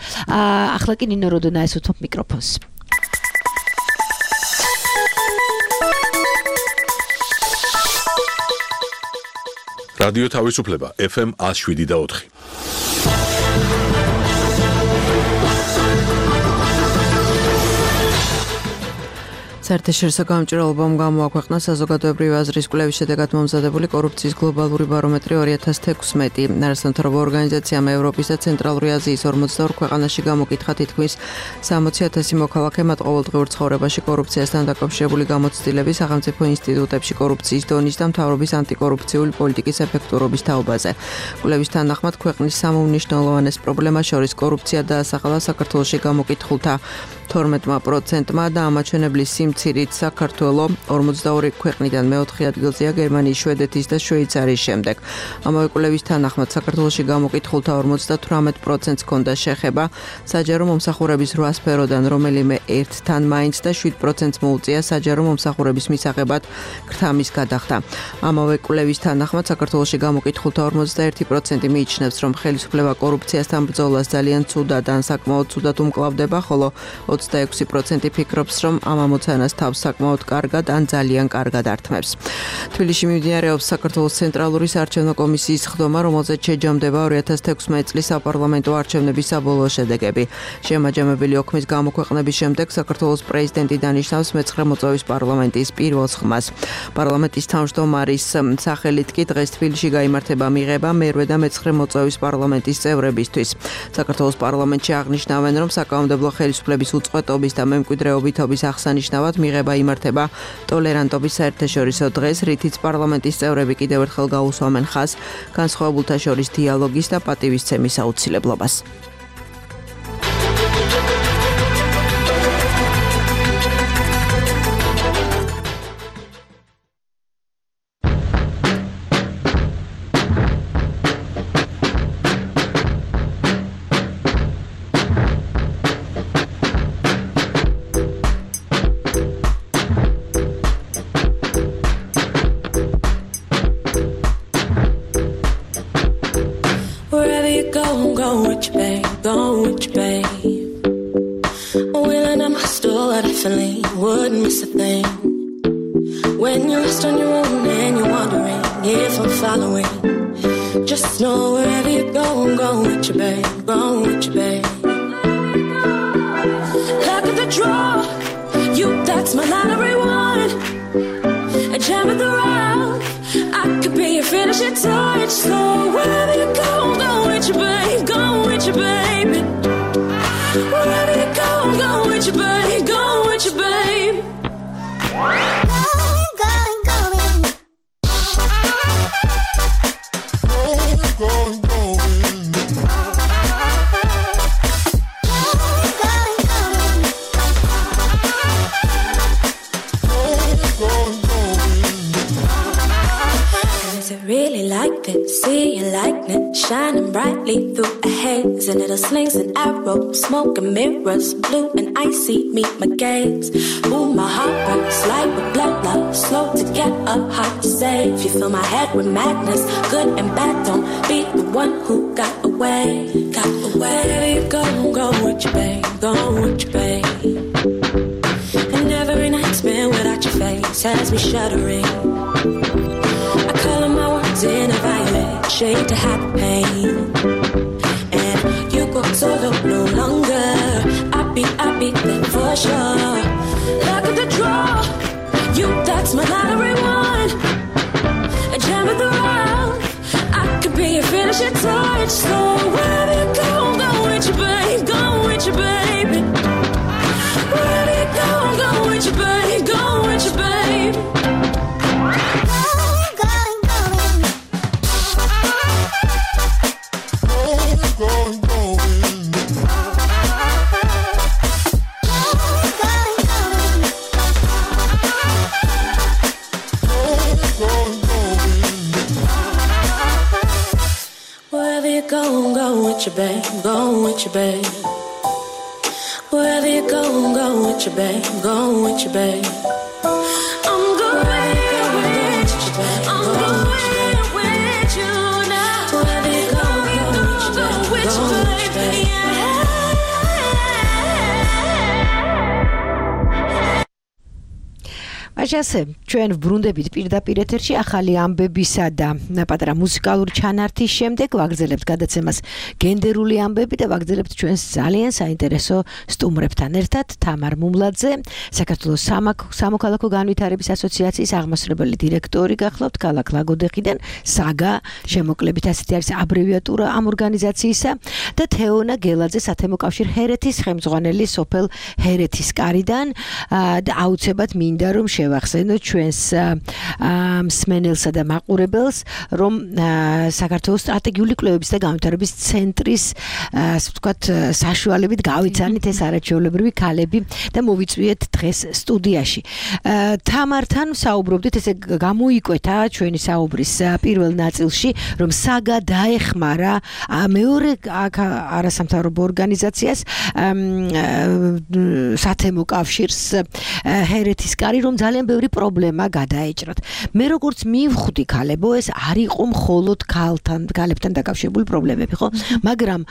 ახლა კი ნინო როდონაეს უთმობ მიკროფონს. რადიო თავისუფლება ეფ ემ one oh seven და four. საერთაშორისო გამჭირვალობამ გამოაქვეყნა საზოგადოებრივი აზრის კვლევის შედეგად მომზადებული კორუფციის გლობალური ბარომეტრი two thousand sixteen. ნარასამთავრობო ორგანიზაციამ ევროპის და ცენტრალური აზიის forty-two ქვეყანაში გამოკითხა თითქმის sixty thousand მოქალაქე მათ ყოველდღიურ ცხოვრებაში კორუფციასთან დაკავშირებული გამოცდილების, სახელმწიფო ინსტიტუტებში კორუფციის დონის და მთავრობის ანტიკორუფციული პოლიტიკის ეფექტურობის თაობაზე. კვლევის თანახმად ქვეყნის სამუმნიშვნელოვანეს პრობლემას შორის კორუფცია დაასახელა საქართველოში გამოკითხულთა twelve პროცენტმა და ამაჩვენებლის სიმცირით საქართველო forty-two ქვეყნიდან მეოთხე ადგილზეა გერმანიის, შვედეთის და შვეიცარიის შემდეგ. ამავე კვლევის თანახმად საქართველოში გამოკითხულთა thirty-eight პროცენტს ჰქონდა შეხება საჯარო მომსახურების eight სფეროდან, რომელიმე ერთთან მაინც და seven პროცენტს მოუწია საჯარო მომსახურების მისაღებად ქრთამის გადახდა. ამავე კვლევის თანახმად საქართველოში გამოკითხულთა forty-one პროცენტი მიიჩნევს, რომ ხელისუფლება კორუფციასთან ბრძოლას ძალიან ცუდად ან საკმაოდ ცუდად უმკლავდება, ხოლო twenty-six პროცენტი ფიქრობს, რომ ამ ამოცანას თავს საკმაოდ კარგად ან ძალიან კარგად ართმევს. თბილისში მიმდინარეობს საქართველოს ცენტრალური საარჩევნო კომისიის ხდომა, რომელზეც შეჯამდება two thousand sixteen წლის საპარლამენტო არჩევნების საბოლოო შედეგები. შემაჯამებელი ოქმის გამოქვეყნების შემდეგ საქართველოს პრეზიდენტი დანიშნავს მეცხრე მოწვევის პარლამენტის პირველ ხმას. პარლამენტის თავმჯდომარის სახელით კი დღეს თბილისში გაიმართება მიღება მერვე და მეცხრე მოწვევის პარლამენტის წევრებისთვის. საქართველოს პარლამენტში აღნიშნავენ, რომ საკანონმდებლო ხელისუფლების უწყვეტობის და მემკვიდრეობითობის აღსანიშნავად მიღება იმართება ტოლერანტობის საერთაშორისო დღეს, რითიც პარლამენტის წევრები კიდევ ერთხელ გაუსვამენ ხაზს განსხვავებულთა შორის დიალოგის და პატივისცემის აუცილებლობას. Wouldn't miss a thing when you're lost on your own and you're wondering if I'm following. Just know wherever you go, I'm going with you, babe. Going with you, babe. Luck of the draw, you that's my lottery one. A gem of the rough, I could be your finishing touch. So wherever you go, I'm going with you, babe. Going with you, baby. Wherever you go, I'm going with you, babe. Going with you, babe. Going, going, going. Going, going, going. Going, going, going. Going, going, going. Is it really like this? See your likeness shining brightly through a haze, and little slings and arrows, smoke and mirrors, blue and icy meet my gaze. Ooh, my heart works like a blood love, slow to get up, hard to save. You fill my head with madness, good and bad. Don't be the one who got away, got away. Wherever you go, go with you, babe, go with you, babe. And every night spent without your face has me shuddering. roses in a violet shade to hide the pain. And you go solo no longer. I be, I be there for sure. Luck of the draw, you that's my lottery one. A gem of the round, I could be your finishing touch. So wherever you go, go with you, babe, go with you, baby. Wherever you go, go with you, babe, go with you, babe. Go, go with your babe, go with your babe. Wherever you go, go with your babe, go with your babe. I'm going with you, I'm going with you now. Wherever you go, go with your babe, yeah. ასე ჩვენ ვბრუნდებით პირდაპირ ეთერში ახალი ამბებისა და პატარა მუსიკალური ჩანართის შემდეგ ვაგრძელებთ გადაცემას გენდერული ამბები და ვაგრძელებთ ჩვენს ძალიან საინტერესო სტუმრებთან ერთად თამარ მუმლაძე საქართველოს სამოქალაქო განვითარების ასოციაციის აღმასრულებელი დირექტორი გახლავთ ქალაქ ლაგოდეხიდან საგა შემოკლებით ასეთი არის აბრევიატურა ამ ორგანიზაციისა და თეონა გელაძე სათემო კავშირ ჰერეთის ხელმძღვანელი სოფელ ჰერეთის კარიდან და აუცილებლად მინდა რომ ახსენოთ ჩვენს მსმენელსა და მაყურებელს, რომ საქართველოს სტრატეგიული კვლევების და განვითარების ცენტრის, ასე ვთქვათ, საშუალებით გავიცანით ეს არაჩვეულებრივი ქალები და მოვიწვიეთ დღეს სტუდიაში. თამართან საუბრობდით, ესე გამოიკვეთა ჩვენი საუბრის პირველ ნაწილში, რომ საგა დაეხმარა მეორე არასამთავრობო ორგანიზაციას სათემო კავშირს ჰერეთის კარი, რომ ძალიან ბევრი პრობლემა გადაეჭრათ. მე როგორც მივხვდი ქალებო, ეს არ იყო მხოლოდ ქალთან, ქალებთან დაკავშირებული პრობლემები, ხო? მაგრამ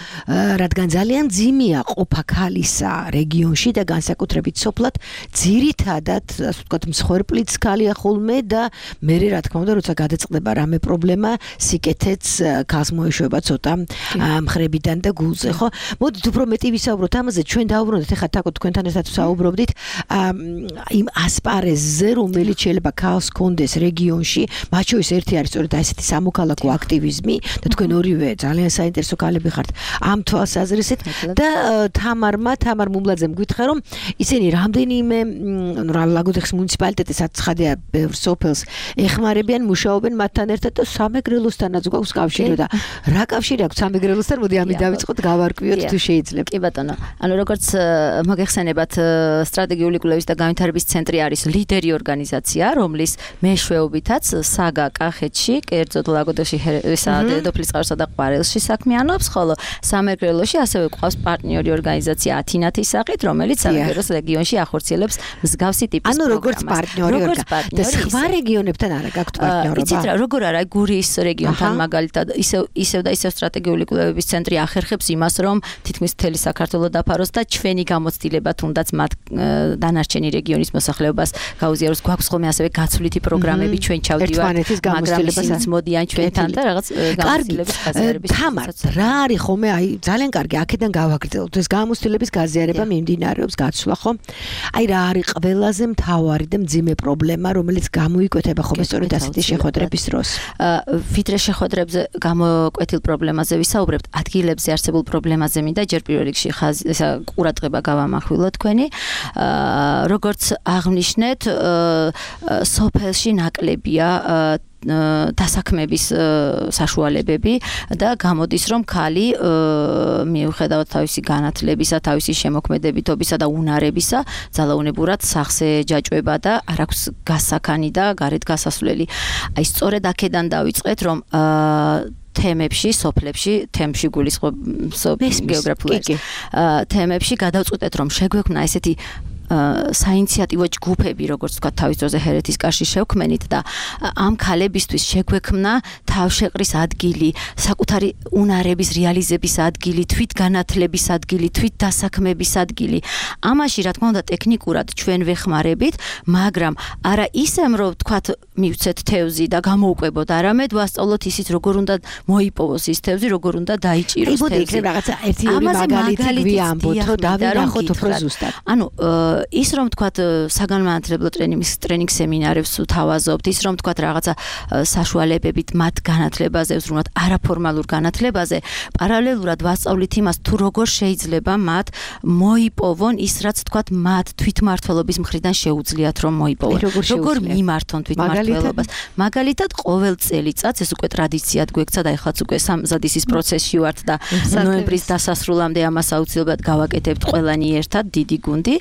რადგან ძალიან ძიმეა ყოფა ქალისა რეგიონში და განსაკუთრებით სოფლად, ძირითადად, ასე ვთქვათ, მსხვერპლიც ქალია ხოლმე და მე რა თქმა უნდა, როცა გადაწყდება რამე პრობლემა, სიკეთეც ქალს მოეშვება ცოტა მხრებიდან და გულზე, ხო? მოდით უფრო მეტი ვისაუბროთ ამაზე, ჩვენ დავუბრუნდეთ ახლა თაკო თქვენთან ერთად ვსაუბრობდით იმ ასპარეზზე, რომელიც შეიძლება ქალს კონდეს რეგიონში, მათ შორის ერთი არის სწორედ ასეთი სამოქალაქო აქტივიზმი და თქვენ ორივე ძალიან საინტერესო ქალები ხართ ამ თვალსაზრისით და თამარმა, თამარ მუმლაძემ გითხრა, რომ ისინი რამდენიმე ლაგოდეხის მუნიციპალიტეტის აცხადია ბევრ სოფელს ეხმარებიან, მუშაობენ მათთან ერთად და სამეგრელოსთანაც გვაქვს კავშირი და რა კავშირი აქვს სამეგრელოსთან? მოდი ამით დავიწყოთ, გავარკვიოთ თუ შეიძლება. კი ბატონო, ანუ როგორც მოგეხსენებათ, სტრატეგიული კვლევის და განვითარების ცენტრი არის ლიდერი ორგანიზაცია, რომლის მეშვეობითაც საგა კახეთში, კერძოდ ლაგოდეხში დედოფლის წყაროსა და ყვარელში საქმიანობს, ხოლო სამეგრელოში ასევე გვყავს პარტნიორი ორგანიზაცია ათინათის სახით, რომელიც სამეგრელოს რეგიონში ახორციელებს მსგავსი ტიპის პროგრამას. ანუ როგორც პარტნიორი და სხვა რეგიონებთან არა გაქვთ პარტნიორობა? იცით რა, როგორ არა, გურიის რეგიონთან მაგალითად ისევ ისევ და ისევ სტრატეგიული კვლევების ცენტრი ახერხებს იმას, რომ თითქმის მთელი საქართველო დაფაროს და ჩვენი გამოცდილება თუნდაც მათ დანარჩენი რეგიონის მოსახლეობას გაუზიაროს. გვაქვს ხოლმე ასევე გაცვლითი პროგრამები, ჩვენ ჩავდივართ, მაგრამ ისინიც მოდიან ჩვენთან და რაღაც გამოცდილების გაზიარების. თამარ, რა არის ხოლმე, აი ძალიან კარგი, აქედან გავაგრძელოთ. ეს გამოცდილების გაზიარება მიმდინარეობს, გაცვლა ხო? აი რა არის ყველაზე მთავარი და მძიმე პრობლემა, რომელიც გამოიკვეთება ხოლმე სწორედ ასეთი შეხვედრების დროს? ვიდრე შეხვედრებზე გამოკვეთილ პრობლემაზე ვისაუბრებთ, ადგილებზე არსებულ პრობლემაზე მინდა ჯერ პირველ რიგში ყურადღება გავამახვილოთ თქვენი. როგორც აღნიშნეთ, სოფელში ნაკლებია დასაქმების საშუალებები და გამოდის, რომ ქალი მიუხედავად თავისი განათლებისა, თავისი შემოქმედებითობისა და უნარებისა, ძალაუნებურად სახზე ჯაჭვება და არ აქვს გასაქანი და გარეთ გასასვლელი. აი სწორედ აქედან დავიწყეთ, რომ თემებში, სოფლებში, თემში გულისხმობ გეოგრაფიული თემებში გადავწყვეტეთ, რომ შეგვექმნა ესეთი საინიციატივო ჯგუფები, როგორც თქვა, თავის დროზე ჰერეთის კარში შევქმენით და ამ ქალებისთვის შეგვექმნა თავშეყრის ადგილი, საკუთარი უნარების რეალიზების ადგილი, თვითგანათლების ადგილი, თვითდასაქმების ადგილი. ამაში რა თქმა უნდა ტექნიკურად ჩვენ ვეხმარებით, მაგრამ არა ისემ რომ თქვათ მივცეთ თევზი და გამოუკვებოთ, არამედ ვასწავლოთ ისიც როგორ უნდა მოიპოვოს ის თევზი, როგორ უნდა დაიჭიროს თევზი. აი, მოდი რაღაცა ერთი ორი მაგალითი ვიამბოთო და ვინახოთ უფრო ზუსტად. ანუ ის რომ თქვათ საგანმანათლებლო ტრენინგის ტრენინგ სემინარებს ვთავაზობთ, ის რომ თქვათ რაღაცა საშუალებებით მათ განათლებაზე, ზრუნავთ არაფორმალურ განათლებაზე, პარალელურად ვასწავლით იმას, თუ როგორ შეიძლება მათ მოიპოვონ ის, რაც თქვათ მათ თვითმმართველობის მხრიდან შეუძლიათ რომ მოიპოვონ. როგორ მიმართონ თვითმმართველობას. მაგალითად, ყოველ წელიწადს ეს უკვე ტრადიციად გვექცა და ეხლაც უკვე სამზადისის პროცესში ვართ და ნოემბრის დასასრულამდე ამას აუცილებლად გავაკეთებთ ყველანი ერთად, დიდი გუნდი.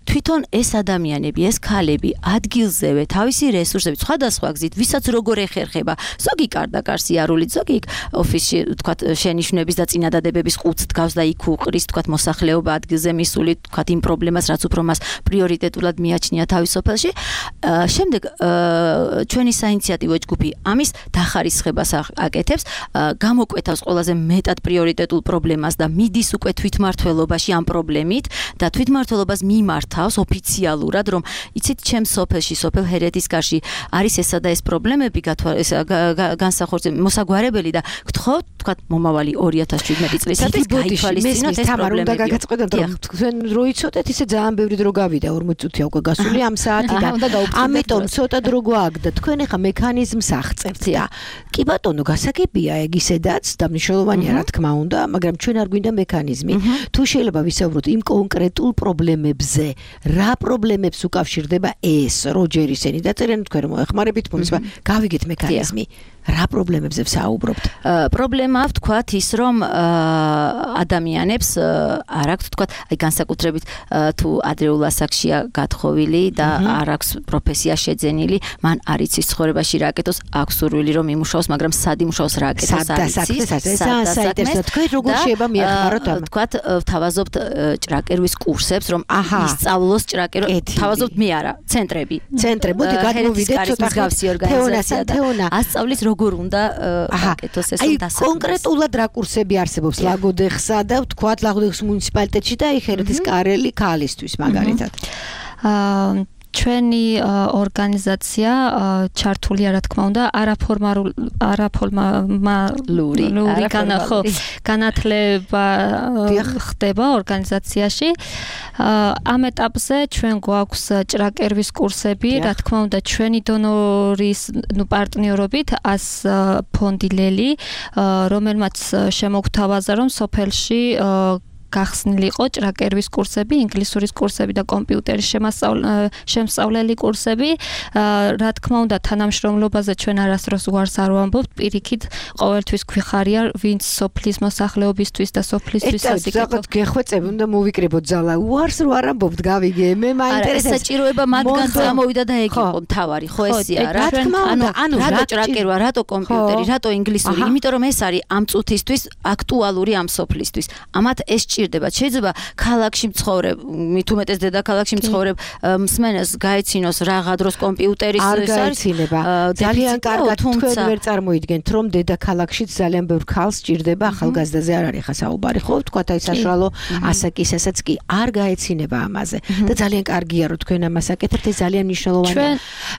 თვითონ ეს ადამიანები, ეს ქალები ადგილზევე თავისი რესურსებით სხვადასხვა გზით, ვისაც როგორ ეხერხება, ზოგი კარდაკარს იარულით, ზოგი ოფისში, თქვათ, შენიშვნების და წინადადებების ყუთს დგავს და იქ უყრის, თქვათ, მოსახლეობა ადგილზე მისული, თქვათ, იმ პრობლემას, რაც უფრო მას პრიორიტეტულად მიაჩნია თავის სოფელში. შემდეგ ჩვენი საინიციატივო ჯგუფი ამის დახარისხებას აკეთებს, გამოკვეთავს ყველაზე მეტად პრიორიტეტულ პრობლემას და მიდის უკვე თვითმმართველობაში ამ პრობლემით და თვითმმართველობას მიმართავს ოფიციალურად, რომ იცით, ჩემს სოფელში, სოფელ ჰერეთის კარში არის ესა და ეს პრობლემები განსახორციელებელი, მოსაგვარებელი და გთხოვთ, თქვათ, მომავალი ორი ათას შვიდმეტი წლისათვის გაითვალისწინოთ ეს პრობლემები. უნდა გაგაწყდეთ, რომ თქვენ რო იცოდეთ, ისე ძალიან ბევრი დრო გავიდა, ორმოცი წუთია უკვე გასული ამ საათიდან. ამიტომ ცოტა დრო გვაქვს, თქვენ ახლა მექანიზმს აღწევთ და კი ბატონო, გასაგებია ეგ ისედაც და მნიშვნელოვანია რა თქმა უნდა, მაგრამ ჩვენ არ გვინდა მექანიზმი. თუ შეიძლება ვისაუბროთ იმ კონკრეტულ პრობლემებზე, რა პრობლემებს უკავშირდება ეს, როჯერ ისინი დაწერენ, თქვენ რომ მოეხმარებით მომის, გავიგეთ მექანიზმი. რა პრობლემებზე ვსაუბრობთ? პრობლემა ვთქვათ ის, რომ ადამიანებს არ აქვს, თქვათ, აი განსაკუთრებით თუ ადრეულ ასაკშია გათხოვილი და არ აქვს პროფესია შეძენილი, მან არ იცის ცხოვრებაში რა აკეთოს, აქვს სურვილი რომ იმუშაოს, მაგრამ სად იმუშაოს, რა აკეთოს, არ იცის. საინტერესო, თქვენ როგორ შეიძლება მიეხმაროთ ამ? თქვათ, ვთავაზობთ ჭრაკერვის კურსებს, რომ ისწავლოს ჭრაკერვა, ვთავაზობთ მე არა, ცენტრები. ცენტრები, მოდი გადმოვიდეთ ცოტა გავსი ორგანიზაცია და ასწავლის როგორ უნდა აკეთოს ეს დასაქმება. კონკრეტულად რა კურსები არსებობს ლაგოდეხსა და ვთქვათ ლაგოდეხის მუნიციპალიტეტში და ჰერეთის კარელი ქალისთვის მაგალითად. აა ჩვენი ორგანიზაცია ჩართულია რა თქმა უნდა არაფორმალური არაფორმალური განათლება ხდება ორგანიზაციაში. ამ ეტაპზე ჩვენ გვაქვს ჭრაკერვის კურსები, რა თქმა უნდა ჩვენი დონორის ნუ პარტნიორობით ას ფონდი ლელი, რომელმაც შემოგთავაზა რომ სოფელში გახსნილი იყო ჭრაკერვის კურსები, ინგლისურის კურსები და კომპიუტერის შემსწავლელი კურსები. რა თქმა უნდა, თანამშრომლობაზე ჩვენ არასდროს უარს არ ვამბობთ, პირიქით ყოველთვის გვიხარია, ვინც სოფლის მოსახლეობისთვის და სოფლისთვის ასიკეთო. გეხვეწები, უნდა მოვიკრიბოთ ძალა. უარს რო არ ამბობთ, გავიგე. მე მაინტერესებს. საჭიროება მათგან წამოვიდა და ეგ იყო მთავარი, ხო ესია რა. ანუ ანუ რატო ჭრაკერვა, რატო კომპიუტერი, რატო ინგლისური? იმიტომ რომ ეს არის ამ წუთისთვის აქტუალური ამ სოფლისთვის. ამათ ეს ჭირდება. შეიძლება ქალაქში მცხოვრებ, მით უმეტეს დედაქალაქში მცხოვრებ მსმენელს გაეცინოს რაღა დროს კომპიუტერის ეს არის ძალიან კარგად თქვენ ვერ წარმოიდგენთ, რომ დედაქალაქშიც ძალიან ბევრ ქალს ჭირდება, ახალგაზრდაზე არ არის ხა საუბარი, ხო? თქვათ აი საშუალო ასაკისასაც კი არ გაეცინება ამაზე. და ძალიან კარგია რომ თქვენ ამას აკეთებთ, ეს ძალიან მნიშვნელოვანია.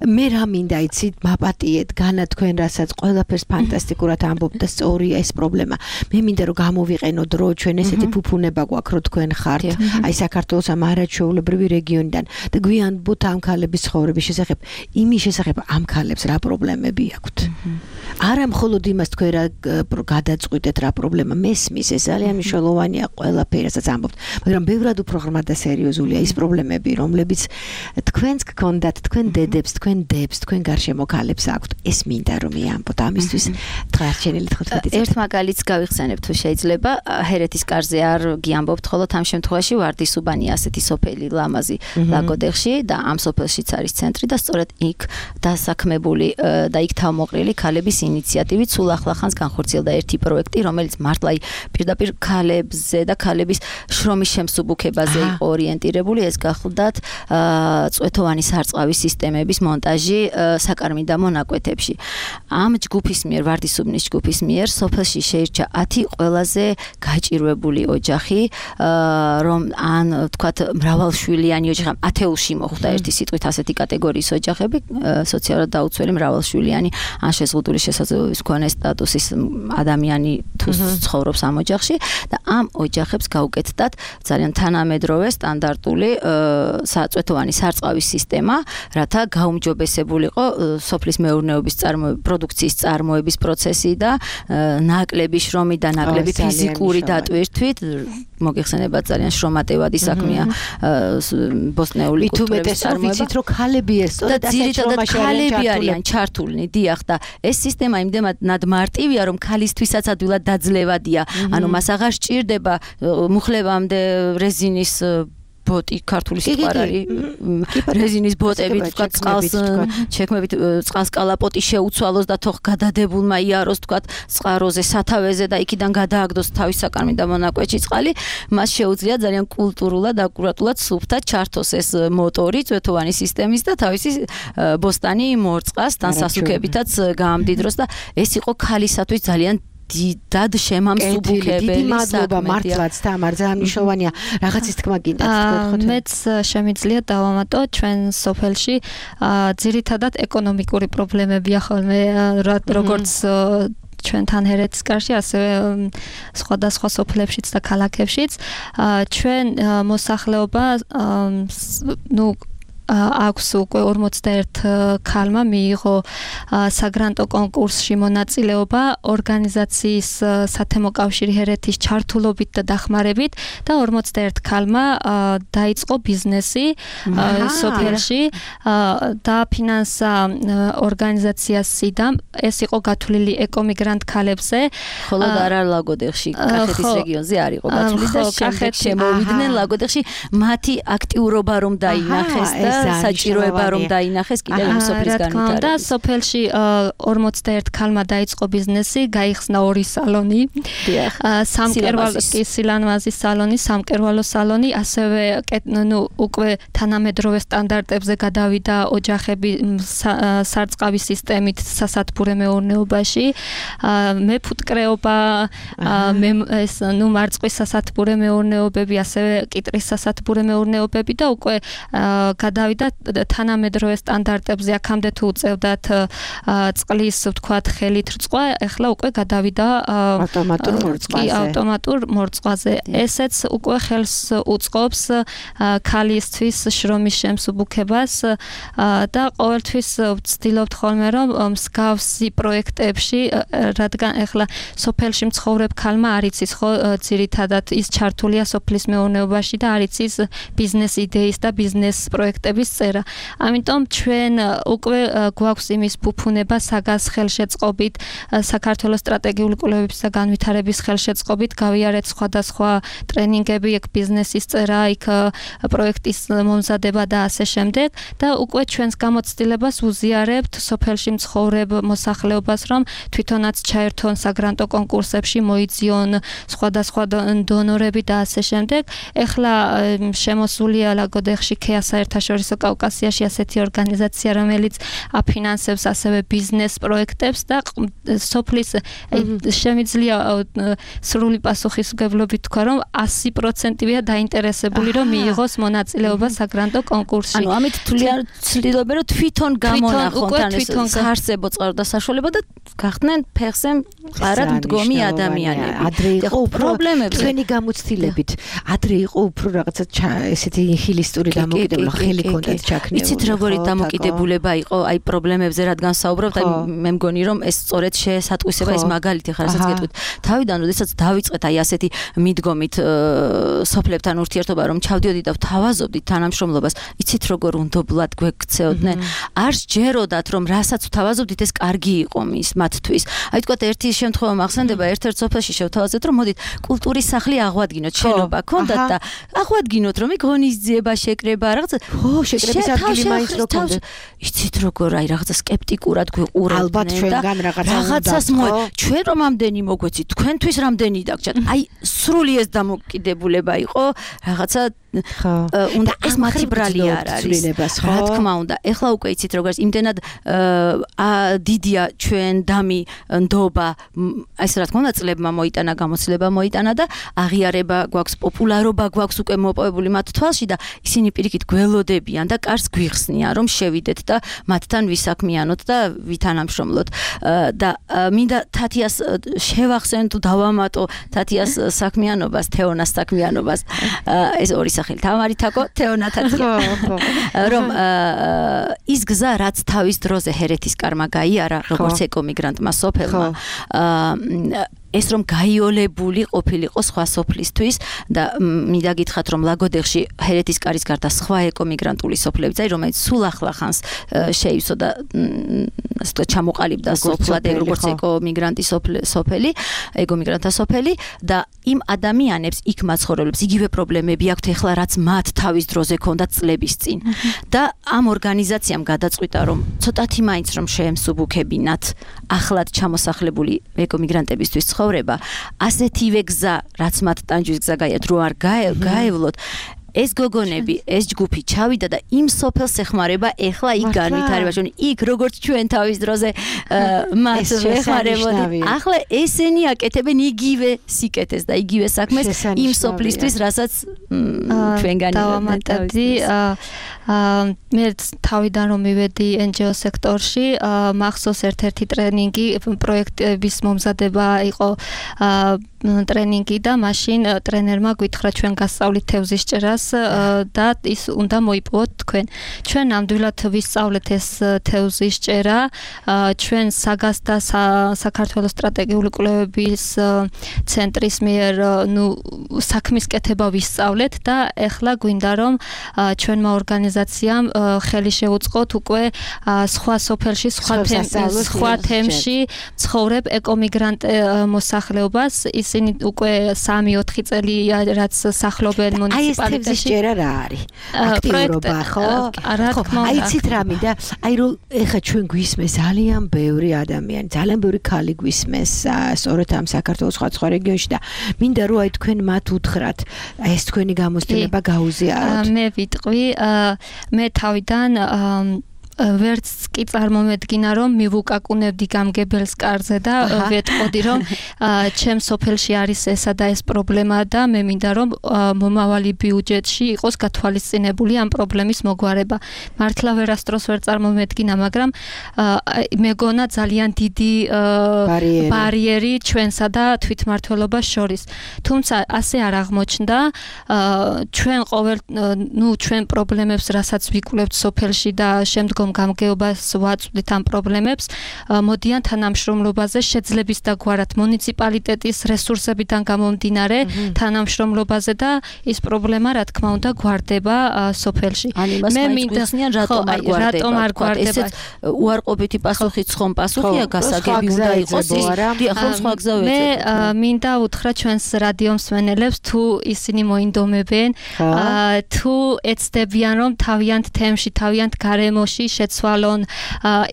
მე რა მინდა იცით, მაპატიეთ განა თქვენ რასაც ყველაფერს ფანტასტიკურად ამბობთ და სწორია ეს პრობლემა. მე მინდა რომ გამოვიყენოთ დრო ჩვენ ესეთი ფუფუნება გვაქვს რომ თქვენ ხართ აი საქართველოს ამ არაჩვეულებრივი რეგიონიდან და გვიანბოთ ამ ქალების ცხოვრების შესახებ, იმის შესახებ ამ ქალებს რა პრობლემები აქვთ. არა მხოლოდ იმას თქვენ რა გადაწყვიტეთ რა პრობლემა მესმის, ეს ძალიან მნიშვნელოვანია ყველაფერსაც ამბობთ, მაგრამ ბევრად უფრო ღრმად და სერიოზულია ის პრობლემები, რომლებიც თქვენს გქონდათ, თქვენ დედებს, თქვენ დებს, თქვენ გარშემო ქალებს აქვთ. ეს მინდა რომ მეამბოთ ამისთვის დღეარჩენილი თხუთმეტი წელი. ერთ მაგალითს გავიხსენებ თუ შეიძლება, ჰერეთის კარზე არ გიამბობთ, ხოლო ამ შემთხვევაში ვარდისუბანი ასეთი სოფელი ლამაზი ლაგოდეხში და ამ სოფელშიც არის ცენტრი და სწორედ იქ დასაქმებული და იქ თავმოყრილი ქალების ინიციატივით სულ ახლახანს განხორციელდა ერთი პროექტი, რომელიც მართლა პირდაპირ ქალებზე და ქალების შრომის შემსუბუქებაზე იყო ორიენტირებული. ეს გახლდათ წვეთოვანი სარწყავის სისტემების მონტაჟი საკარმიდამო ნაკვეთებში. ამ ჯგუფის მიერ, ვარდისუბნის ჯგუფის მიერ სოფელში შეირჩა ათი ყველაზე გაჭირვებული ოჯახი, რომ ან თქვათ მრავალშვილიანი ოჯახი, ათეულში მოხვდა ერთი სიტყვით ასეთი კატეგორიის ოჯახები, სოციალურად დაუცველი მრავალშვილიანი ან შეზღუდული შესაძლებლობის მქონე სტატუსის ადამიანი თუ ცხოვრობს ამ ოჯახში და ამ ოჯახებს გაუკეთდათ ძალიან თანამედროვე სტანდარტული საწვეთოვანი სარწყავის სისტემა, რათა გაუმჯობესებულიყო სოფლის მეურნეობის პროდუქციის წარმოების პროცესი და ნაკლები შრომი და ნაკლები ფიზიკური დატვირთვით. მოგეხსენებათ ძალიან შრომატევადი საქმეა ბოსტნეული კულტურების წარმოება. ვიცით რომ ქალები ეს სწორედ ასეთ შრომაში ქალები არიან ჩართულნი, დიახ და ეს სისტემა იმდენად მარტივია რომ ქალისთვისაც ადვილად დაძლევადია. ანუ მას აღარ სჭირდება მუხლებამდე რეზინის ბოტი, ქართული სიტყვა არის რეზინის ბოტებით, თქვა წყალს ჩექმებით, წყალს კალაპოტი შეუცვალოს და თოხ გადადებულმა იაროს, თქვა წყაროზე, სათავეზე და იქიდან გადააგდოს თავის საკარმიდამო ნაკვეთში წყალი, მას შეუძლია ძალიან კულტურულად, აკურატულად, სუფთად ჩართოს ეს მოტორი წვეთოვანი სისტემის და თავისი ბოსტანი მორწყასთან სასუქებითაც გაამდიდროს და ეს იყო ქალისათვის ძალიან დიდად შემამსუბუქებელი. დიდი მადლობა მართლაც თამარ, ძალიან მნიშვნელოვანია. რაღაცის თქმა გინდათ თქვენ. მეც შემიძლია დავამატო ჩვენ სოფელში ძირითადად ეკონომიკური პრობლემებია ხოლმე, როგორც ჩვენთან ჰერეთის კარში, ასევე სხვადასხვა სოფლებშიც და ქალაქებშიც. ჩვენ მოსახლეობა ნუ აქვს უკვე ორმოცდაერთ ქალმა მიიღო საგრანტო კონკურსში მონაწილეობა ორგანიზაციის სათემო კავშირი ჰერეთის ჩართულობით და დახმარებით და ორმოცდაერთ ქალმა დაიწყო ბიზნესი სოფელში და ფინანსა ორგანიზაცია სიდამ. ეს იყო გათვლილი ეკომიგრანტ ქალებზე. ხოლო არა ლაგოდეხში, კახეთის რეგიონზე არ იყო გათვლილი და შემდეგ შემოვიდნენ ლაგოდეხში. მათი აქტიურობა რომ დაინახეს და საჭიროება რომ დაინახეს კიდევ იმ სოფლის განვითარებას. და სოფელში ორმოცდაერთ ქალმა დაიწყო ბიზნესი, გაიხსნა ორი სალონი. სამკერვალო სილამაზის სალონი, სამკერვალო სალონი, ასევე ნუ უკვე თანამედროვე სტანდარტებზე გადავიდა ოჯახები სარწყავის სისტემით სასათბურე მეურნეობაში. მეფუტკრეობა, ეს ნუ მარწყვის სასათბურე მეურნეობები, ასევე კიტრის სასათბურე მეურნეობები და უკვე გადავიდა თანამედროვე სტანდარტებზე. აქამდე თუ უწევდათ წყლის ვთქვათ ხელით რწყვა, ეხლა უკვე გადავიდა ავტომატურ მორწყვაზე. ავტომატურ მორწყვაზე. ესეც უკვე ხელს უწყობს ქალისთვის შრომის შემსუბუქებას და ყოველთვის ვცდილობთ ხოლმე რომ მსგავსი პროექტებში, რადგან ეხლა სოფელში მცხოვრებ ქალმა არ იცის ხო ძირითადად ის ჩართულია სოფლის მეურნეობაში და არ იცის ბიზნეს იდეის და ბიზნეს პროექტების წერა. ამიტომ ჩვენ უკვე გვაქვს იმის ფუფუნება საგას ხელშეწყობით, საქართველოს სტრატეგიული კვლევების და განვითარების ხელშეწყობით გავიარეთ სხვადასხვა ტრენინგები, იქ ბიზნესის წერა, იქ პროექტის მომზადება და ასე შემდეგ და უკვე ჩვენს გამოცდილებას უზიარებთ სოფელში მცხოვრებ მოსახლეობას, რომ თვითონაც ჩაერთონ საგრანტო კონკურსებში, მოიძიონ სხვადასხვა დონორები და ასე შემდეგ. ეხლა შემოსულია ლაგოდეხში ქეა საერთაშორისო კავკასიაში ასეთი ორგანიზაცია, რომელიც აფინანსებს ასევე ბიზნეს პროექტებს და სოფლის შემიძლია სრული პასუხისმგებლობით თქვა, რომ ასი პროცენტია დაინტერესებული, რომ მიიღოს მონაწილეობა საგრანტო კონკურსში. ანუ ამით ცდილობენ, რომ თვითონ გამონახონ ეს საარსებო წყარო და საშუალება და გახდნენ ფეხზე მყარად მდგომი ადამიანები. ადრე იყო უფრო თქვენი გამოცდილებით, ადრე იყო უფრო რაღაცა ესეთი ნიჰილისტური დამოკიდებულება, ხელი ჰქონდათ ჩაქნეული. იცით როგორი დამოკიდებულება იყო აი პრობლემებზე რადგან საუბრობთ, აი მე მგონი რომ ეს სწორედ შესატყვისება ის მაგალითი ხარ, რასაც გეტყვით. თავიდან როდესაც დავიწყეთ აი ასეთი მიდგომით სოფლებთან ურთიერთობა რომ ჩავდიოდი და ვთავაზობდით თანამშრომლობას, იცით როგორ უნდობლად გვექცეოდნენ. არ სჯეროდათ რომ რასაც ვთავაზობდით ეს კარგი იყო მის მათთვის. აი თქვა ერთი შემთხვევა მახსენდება, ერთ-ერთ სოფელში შევთავაზეთ რომ მოდით კულტურის სახლი აღვადგინოთ, შენობა ქონდათ და აღვადგინოთ რომ იქ ღონისძიება, შეკრება, რაღაცა. ხო, შეკრების ადგილი მაინც რო ქონდეთ. იცით როგორ აი რაღაცა სკეპტიკურად გვიყურებდნენ. ალბათ ჩვენგან რაღაცა რაღაცას მოე ჩვენ რომ ამდენი მოგვეცით, თქვენთვის რამდენი დაგჭათ. აი სრული ეს დამოკიდებულება იყო, რაღაცა უნდა ეს მათი ბრალი არ არის. რა თქმა უნდა, ეხლა უკვე იცით როგორც იმდენად დიდია ჩვენ დამი ნდობა, ეს რა თქმა უნდა წლებმა მოიტანა, გამოცდილება მოიტანა და აღიარება გვაქვს, პოპულარობა გვაქვს უკვე მოპოვებული მათ თვალში და ისინი პირიქით გველოდებიან და კარს გვიხსნიან რომ შევიდეთ და მათთან ვისაქმიანოთ და ვითანამშრომლოთ და მინდა თათიას შევახსენოთ, დავამატო თათიას საქმიანობას, თეონას საქმიანობას, ეს ორი სახელი თამარი თაკო, თეონა თათია. რომ ის გზა რაც თავის დროზე ჰერეთის კარმა გაიარა, როგორც ეკომიგრანტმა სოფელმა, ეს რომ გაიოლებული ყოფილიყო სხვა სოფლისთვის და მინდა გითხრათ რომ ლაგოდეხში ჰერეთის კარის გარდა სხვა ეკომიგრანტული სოფლებიც აი რომელიც სულ ახლა ხანს შეივსო და ასე ვთქვათ ჩამოყალიბდა სოფლად როგორც ეკომიგრანტი სოფელი, ეკომიგრანტთა სოფელი და იმ ადამიანებს იქ მაცხოვრებლებს იგივე პრობლემები აქვთ ეხლა რაც მათ თავის დროზე ჰქონდათ წლების წინ და ამ ორგანიზაციამ გადაწყვიტა რომ ცოტათი მაინც რომ შეემსუბუქებინათ ახლად ჩამოსახლებული ეკომიგრანტებისთვის ცხოვრება, ასეთივე გზა, რაც მათ ტანჯვის გზა გაიარეთ, რო არ გაევლოთ, ეს გოგონები, ეს ჯგუფი ჩავიდა და იმ სოფელს ეხმარება, ეხლა იქ განვითარება, ჩვენ იქ როგორც ჩვენ თავის დროზე მათ ეხმარებოდით. ახლა ესენი აკეთებენ იგივე სიკეთეს და იგივე საქმეს იმ სოფლისთვის, რასაც ჩვენ განვითარებდი. მე თავიდან რომ მივედი en ge o სექტორში, მახსოვს ერთ-ერთი ტრენინგი, პროექტების მომზადება იყო ტრენინგი და მაშინ ტრენერმა გითხრა ჩვენ გასწავლით თევზის ჭერას და ის უნდა მოიპოვოთ თქვენ. ჩვენ ნამდვილად ვისწავლეთ ეს თევზის ჭერა, ჩვენ საგას და საქართველოს სტრატეგიული კვლევების ცენტრის მიერ ნუ საქმის კეთება ვისწავლეთ და ეხლა გვინდა რომ ჩვენმა ორგანიზაციამ ხელი შეუწყოთ უკვე სხვა სოფელში, სხვა თემში ცხოვრებ ეკომიგრანტ მოსახლეობას. ისინი უკვე სამი-ოთხი წელია რაც სახლობენ მუნიციპალიტეტში. აი ეს ჭერა რა არის? აქტიურობა ხო? რა თქმა უნდა. აი ცით რა მინდა, აი რომ ეხა ჩვენ გვისმეს ძალიან ბევრი ადამიანი, ძალიან ბევრი ქალი გვისმეს, სწორედ ამ საქართველოს სხვა სხვა რეგიონში და მინდა რომ აი თქვენ მათ უთხრათ, აი ეს თქვენი გამოცდილება გაუზიაროთ. მე ვიტყვი, მე თავიდან ვერც კი წარმომედგინა რომ მივუკაკუნებდი გამგებელს კარზე და ვეტყოდი რომ ჩემ სოფელში არის ესა და ეს პრობლემა და მე მინდა რომ მომავალი ბიუჯეტში იყოს გათვალისწინებული ამ პრობლემის მოგვარება. მართლა ვერასდროს ვერ წარმომედგინა, მაგრამ მეგონა ძალიან დიდი ბარიერი ჩვენსა და თვითმმართველობას შორის. თუმცა ასე არ აღმოჩნდა, ჩვენ ყოველ ნუ ჩვენ პრობლემებს რასაც ვიკვლევთ სოფელში და შემდგომ გამგეობას ვაწვდით ამ პრობლემებს, მოდიან თანამშრომლობაზე შეძლების დაგვარად მუნიციპალიტეტის რესურსებიდან გამომდინარე თანამშრომლობაზე და ის პრობლემა რა თქმა უნდა გვარდება სოფელში. მე მინდა რატომ არ გვარდება? ესეც უარყოფითი პასუხიც ხომ პასუხია, გასაგები უნდა იყოს ის. ხო, სხვა გზა ვეძებ. მე მინდა უთხრა ჩვენს რადიო მსმენელებს, თუ ისინი მოინდომებენ, თუ ეცდებიან რომ თავიანთ თემში, თავიანთ გარემოში შეცვალონ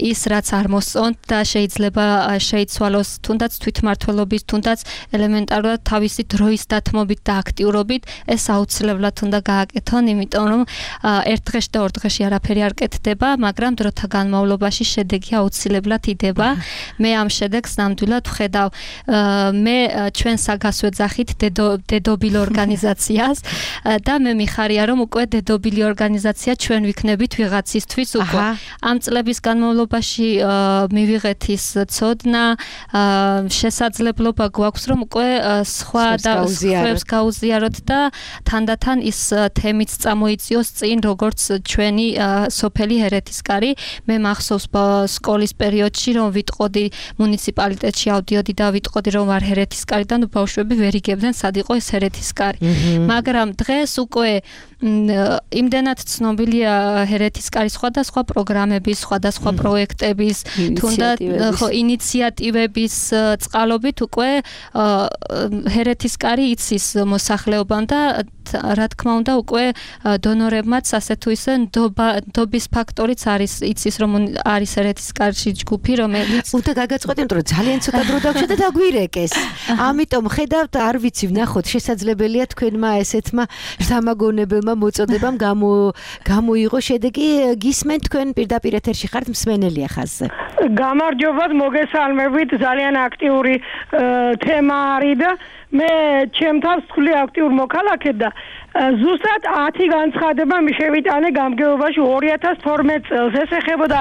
ის რაც არ მოსწონთ და შეიძლება შეიცვალოს თუნდაც თვითმმართველობის, თუნდაც ელემენტარულად თავისი დროის დათმობით და აქტიურობით, ეს აუცილებლად უნდა გააკეთონ, იმიტომ რომ ერთ დღეში და ორ დღეში არაფერი არ კეთდება, მაგრამ დროთა განმავლობაში შედეგი აუცილებლად იდება. მე ამ შედეგს ნამდვილად ვხედავ. მე ჩვენ საგას ვეძახით დედობილ ორგანიზაციას და მე მიხარია რომ უკვე დედობილი ორგანიზაცია ჩვენ ვიქნებით ვიღაცისთვის უკვე. ამ წლების განმავლობაში მივიღეთ ის ცოდნა, შესაძლებლობა გვაქვს რომ უკვე სხვა და სხვებს გაუზიაროთ და თანდათან ის თემიც წამოიწიოს წინ როგორც ჩვენი სოფელი ჰერეთისკარი. მე მახსოვს სკოლის პერიოდში რომ ვიტყოდი მუნიციპალიტეტში ავდიოდი და ვიტყოდი რომ ვარ ჰერეთისკარიდან ბავშვები ვერ იგებდნენ სად იყო ეს ჰერეთისკარი. მაგრამ დღეს უკვე იმდენად ცნობილია ჰერეთისკარის სხვადასხვა პროგრამების, სხვადასხვა პროექტების, თუნდაც ხო ინიციატივების წყალობით უკვე ჰერეთისკარი იცის მოსახლეობამ და რა თქმა უნდა უკვე დონორებმაც ასე თუ ისე ნდობის ფაქტორიც არის იცის რომ არის ჰერეთისკარში ჯგუფი რომელიც უნდა გაგაწყვეტი იმიტომ რომ ძალიან ცოტა დრო დაგვჭირდა და დაგვირეკეს. ამიტომ ხედავთ არ ვიცი ვნახოთ შესაძლებელია თქვენმა ესეთმა სამაგონებელმა მოწოდებამ გამო გამოიღო შედეგი გისმენთ თქვენ პირდაპირ ეთერში ხართ მსმენელია ხაზზე. გამარჯობათ მოგესალმებით ძალიან აქტიური თემა არის და მე ჩემთან ვთვლი აქტიურ მოქალაქედ და ზუსტად ათი განცხადება მიშევიტანე გამგეობაში ორი ათას თორმეტ წელს ეს ეხებოდა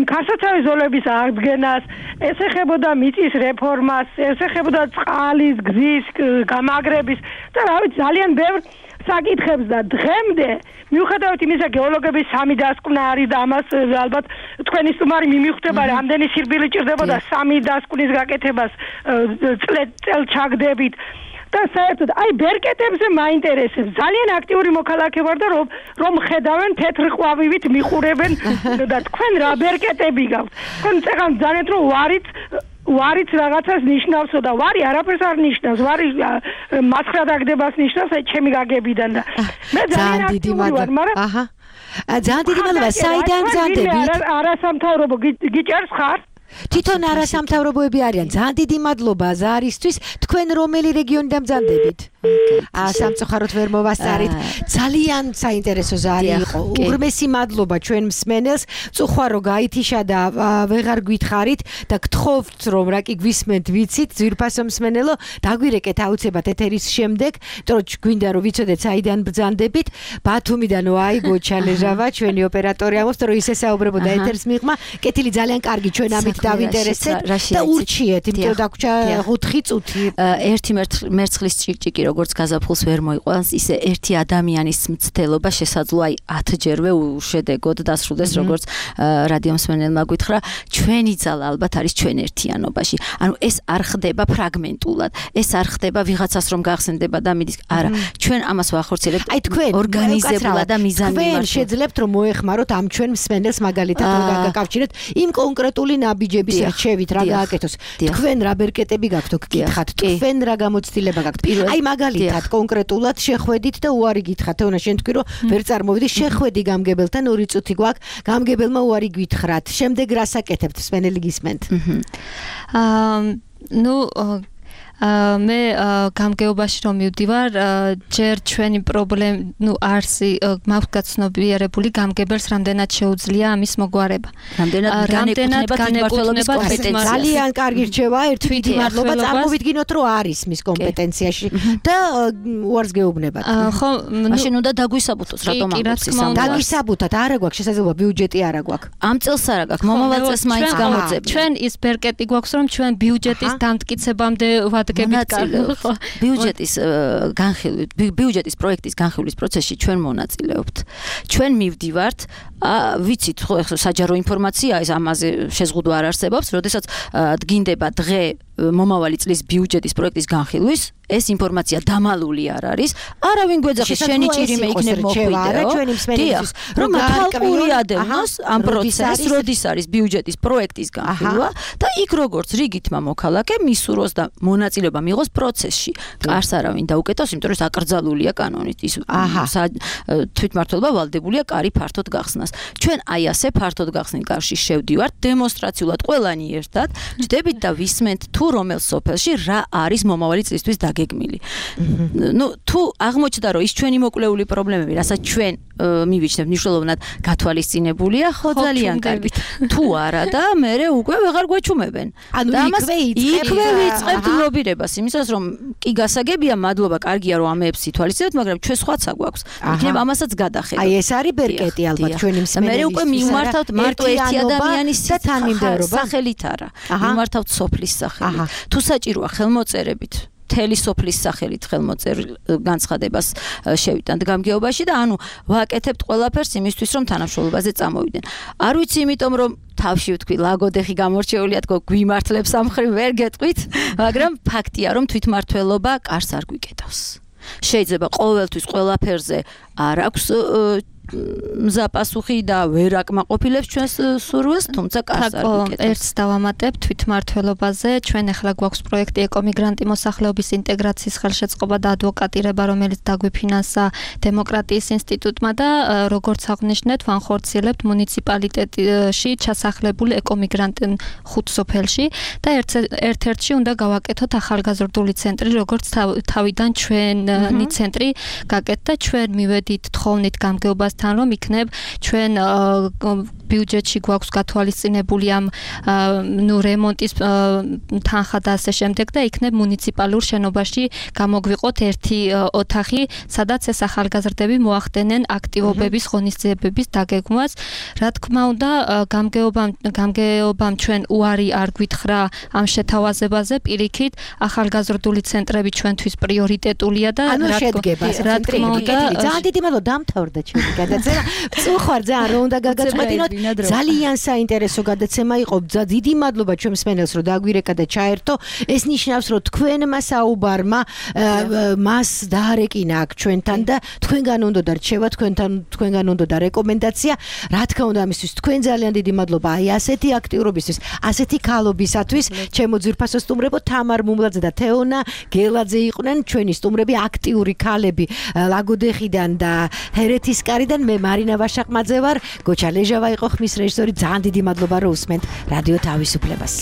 ქარსაცავი ზოლების აღდგენას, ეს ეხებოდა მიწის რეფორმას, ეს ეხებოდა წყალის გზის გამაგრების და რა ვიცი ძალიან ბევრ საკითხებს და დღემდე მიუხედავად იმისა გეოლოგების სამი დასკვნა არის და ამას ალბათ თქვენი სტუმარი მიმიხვდება რამდენი სირბილი ჭირდებოდა სამი დასკვნის გაკეთებას წელს ჩაგდებით და საერთოდ აი ბერკეტებზე მაინტერესებს ძალიან აქტიური მოქალაქე ვარ და რომ რომ ხედავენ თეთრ ყვავივით მიყურებენ და თქვენ რა ბერკეტები გაქვთ თქვენ წეგან ძალიან რომ ვარით ვარიც რაღაცას ნიშნავსო და ვარი არაფერს არ ნიშნავს ვარი მასხრა დაგდებას ნიშნავს აი ჩემი გაგებიდან და მე ძალიან აქტიური ვარ მაგრამ აჰა ძალიან დიდი მადლობა საიდან გზანდებით არასამთავრობო გიჭერს ხარ თვითონ არასამთავრობოები არიან ძალიან დიდი მადლობა ზარისთვის თქვენ რომელი რეგიონიდან მზადებით აა სამწუხაროდ ვერ მოვასწარით ძალიან საინტერესო ზარი იყო უღრმესი მადლობა ჩვენ მსმენელს წუხარო გაითიშა და ვეღარ გითხარით და გთხოვთ რომ რა კი გვისმენთ ვიცით ძვირფასო მსმენელო დაგვირეკეთ აუცილებლად ეთერის შემდეგ იმიტომ რომ გვინდა რომ ვიცოდეთ საიდან ბრძანდებით ბათუმიდან ვაი გოჩალეჟავა ჩვენი ოპერატორი ამბობს რომ ისე საუბრებოდა ეთერს მიღმა კეთილი ძალიან კარგი ჩვენ ამით დავინტერესეთ და ურჩიეთ იმიტომ დაგვრჩა ოთხი წუთი ერთი მერცხლის ჭიკჭიკი როგორც გაზაფხულს ვერ მოიყვანს ისე ერთი ადამიანის მცდელობა შესაძლოა აი ათჯერვე უშედეგოდ დასრულდეს როგორც რადიო მსმენელმა გითხრა ჩვენი ძალა ალბათ არის ჩვენ ერთიანობაში ანუ ეს არ ხდება ფრაგმენტულად ეს არ ხდება ვიღაცას რომ გახსენდება და მიდის არა ჩვენ ამას ვახორციელებთ აი თქვენ ორგანიზებულად და მიზანმიმართულად თქვენ შეძლებთ რომ მოეხმაროთ ამ ჩვენ მსმენელს მაგალითად გაგაკავშირეთ იმ კონკრეტული ნაბიჯების რჩევით რა გააკეთოს თქვენ რა ბერკეტები გაქვთ გკითხათ თქვენ რა გამოცდილება გაქვთ აი მაგალითად კონკრეტულად შეხვედით და უარი გითხრათ თეონა შენ თქვი რომ ვერ წარმოვიდი შეხვედი გამგებელთან ორი წუთი გვაქვს გამგებელმა უარი გითხრათ შემდეგ რას აკეთებთ მსმენელი გისმენთ აა ნუ მე გამგეობაში რომ მივდივარ ჯერ ჩვენი პრობლემ ნუ არსი მაქვს გაცნობიერებული გამგებელს რამდენად შეუძლია ამის მოგვარება რამდენად განეკუთვნება კომპეტენციას ძალიან კარგი რჩევა ერთი დიდი მადლობა წარმოვიდგინოთ რომ არის მის კომპეტენციაში და უარს გეუბნებათ ხო მაშინ უნდა დაგვისაბუთოს რატომ ამბობს ის ამ დაგვისაბუთოთ არა გვაქვს შესაძლებლობა ბიუჯეტი არა გვაქვს ამ წელს არა გაქვს მომავალ წელს მაინც გამოძებთ ჩვენ ის ბერკეტი გვაქვს რომ ჩვენ ბიუჯეტის დამტკიცებამდე ბიუჯეტის განხილვის ბიუჯეტის პროექტის განხილვის პროცესში ჩვენ მონაწილეობთ. ჩვენ მივდივართ, ვიცით ხო საჯარო ინფორმაცია ეს ამაზე შეზღუდვა არ არსებობს, როდესაც დგინდება დღე მომავალი წლის ბიუჯეტის პროექტის განხილვის ეს ინფორმაცია დამალული არ არის. არავინ გვეძახის შენი ჭირიმე იქნებ მოხვიდეო. დიახ, რომ თვალყური ადევნოს ამ პროცესს, როდის არის ბიუჯეტის პროექტის განხილვა და იქ როგორც რიგითმა მოქალაქე მისურვოს და მონაწილეობა მიიღოს პროცესში. კარს არავინ დაუკეტოს, იმიტომ რომ ეს აკრძალულია კანონით. ის თვითმმართველობა ვალდებულია კარი ფართოდ გახსნას. ჩვენ აი ასე ფართოდ გახსნილ კარში შევდივართ დემონსტრაციულად ყველანი ერთად, ჯდებით და ვისმენთ თუ თუ რომელ სოფელში რა არის მომავალი წლისთვის დაგეგმილი. ნუ თუ აღმოჩნდა რომ ის ჩვენი მოკვლეული პრობლემები, რასაც ჩვენ მივიჩნევთ მნიშვნელოვნად გათვალისწინებულია, ხო ძალიან კარგი. თუ არა და მე უკვე ვეღარ გვეჩუმებენ. ანუ იქვე იქვე ვიწყებთ ლობირებას, იმისას რომ კი გასაგებია, მადლობა, კარგია რომ ამეებს ითვალისწინებთ, მაგრამ ჩვენ სხვაცა გვაქვს. იქნებ ამასაც გადახედოთ. აი ეს არის ბერკეტი ალბათ ჩვენი მსმენელისთვის. მე უკვე მიმართავთ მარტო ერთი ადამიანის სახელით არა. მიმართავთ სოფლის სახელით. თუ საჭიროა ხელმოწერებით მთელი სოფლის სახელით ხელმოწერილ განცხადებას შევიტანთ გამგეობაში და ანუ ვაკეთებთ ყველაფერს იმისთვის რომ თანამშრომლობაზე წამოვიდნენ. არ ვიცი იმიტომ რომ თავში ვთქვი ლაგოდეხი გამორჩეულია თქო გვიმართლებს ამ მხრივ ვერ გეტყვით, მაგრამ ფაქტია რომ თვითმართველობა კარს არ გვიკეთავს. შეიძლება ყოველთვის ყველაფერზე არ აქვს მზაპასუხი და ვერ აკმაყოფილებს ჩვენს სურვილს, თუმცა კარს არ ვიკეთებს. ერთს დავამატებ თვითმართველობაზე, ჩვენ ახლა გვაქვს პროექტი ეკომიგრანტი მოსახლეობის ინტეგრაციის ხელშეწყობა და ადვოკატირება, რომელიც დაგვიფინანსა დემოკრატიის ინსტიტუტმა და როგორც აღნიშნეთ, ვანხორციელებთ მუნიციპალიტეტში ჩასახლებული ეკომიგრანტი ხუთ სოფელში და ერთ-ერთში უნდა გავაკეთოთ ახალგაზრდული ცენტრი, როგორც თავიდან ჩვენი ცენტრი გაკეთდა, ჩვენ მივედით თხოვნით გამგეობას თან რომ იქნებ ჩვენ ბიუჯეტში გვაქვს გათვალისწინებული ამ ნუ რემონტის თანხა და ასე შემდეგ და იქნებ მუნიციპალურ შენობაში გამოგვიყოთ ერთი ოთახი, სადაც ეს ახალგაზრდები მოახდენენ აქტივობების ღონისძიებების დაგეგმვას. რა თქმა უნდა, გამგეობამ გამგეობამ ჩვენ უარი არ გვითხრა ამ შეთავაზებაზე, პირიქით ახალგაზრდული ცენტრები ჩვენთვის პრიორიტეტულია და რა თქმა უნდა, ძალიან დიდი მადლობა დამთავრდა ჩვენი გადაცემა. წუხარ ძალიან რომ უნდა გაგაწყვეტინოთ. ძალიან საინტერესო გადაცემა იყო. დიდი მადლობა ჩვენ მსმენელს რომ დაგვირეკა და ჩაერთო. ეს ნიშნავს რომ თქვენმა საუბარმა მას დაარეკინა აქ ჩვენთან და თქვენგან უნდა და რჩევა, თქვენთან თქვენგან უნდა და რეკომენდაცია. რა თქმა უნდა ამისთვის თქვენ ძალიან დიდი მადლობა აი ასეთი აქტიურობისთვის, ასეთი ქალობისათვის. ჩემო ძვირფასო სტუმრებო, თამარ მუმლაძე და თეონა გელაძე იყვნენ ჩვენი სტუმრები, აქტიური ქალები ლაგოდეხიდან და ჰერეთისკარიდან. მე მარინა ვაშაყმაძე ვარ, გოჩა ლეჟავა იყო ხმის რეჟისორი. ძალიან დიდი მადლობა რომ უსმენთ რადიო თავისუფლებას.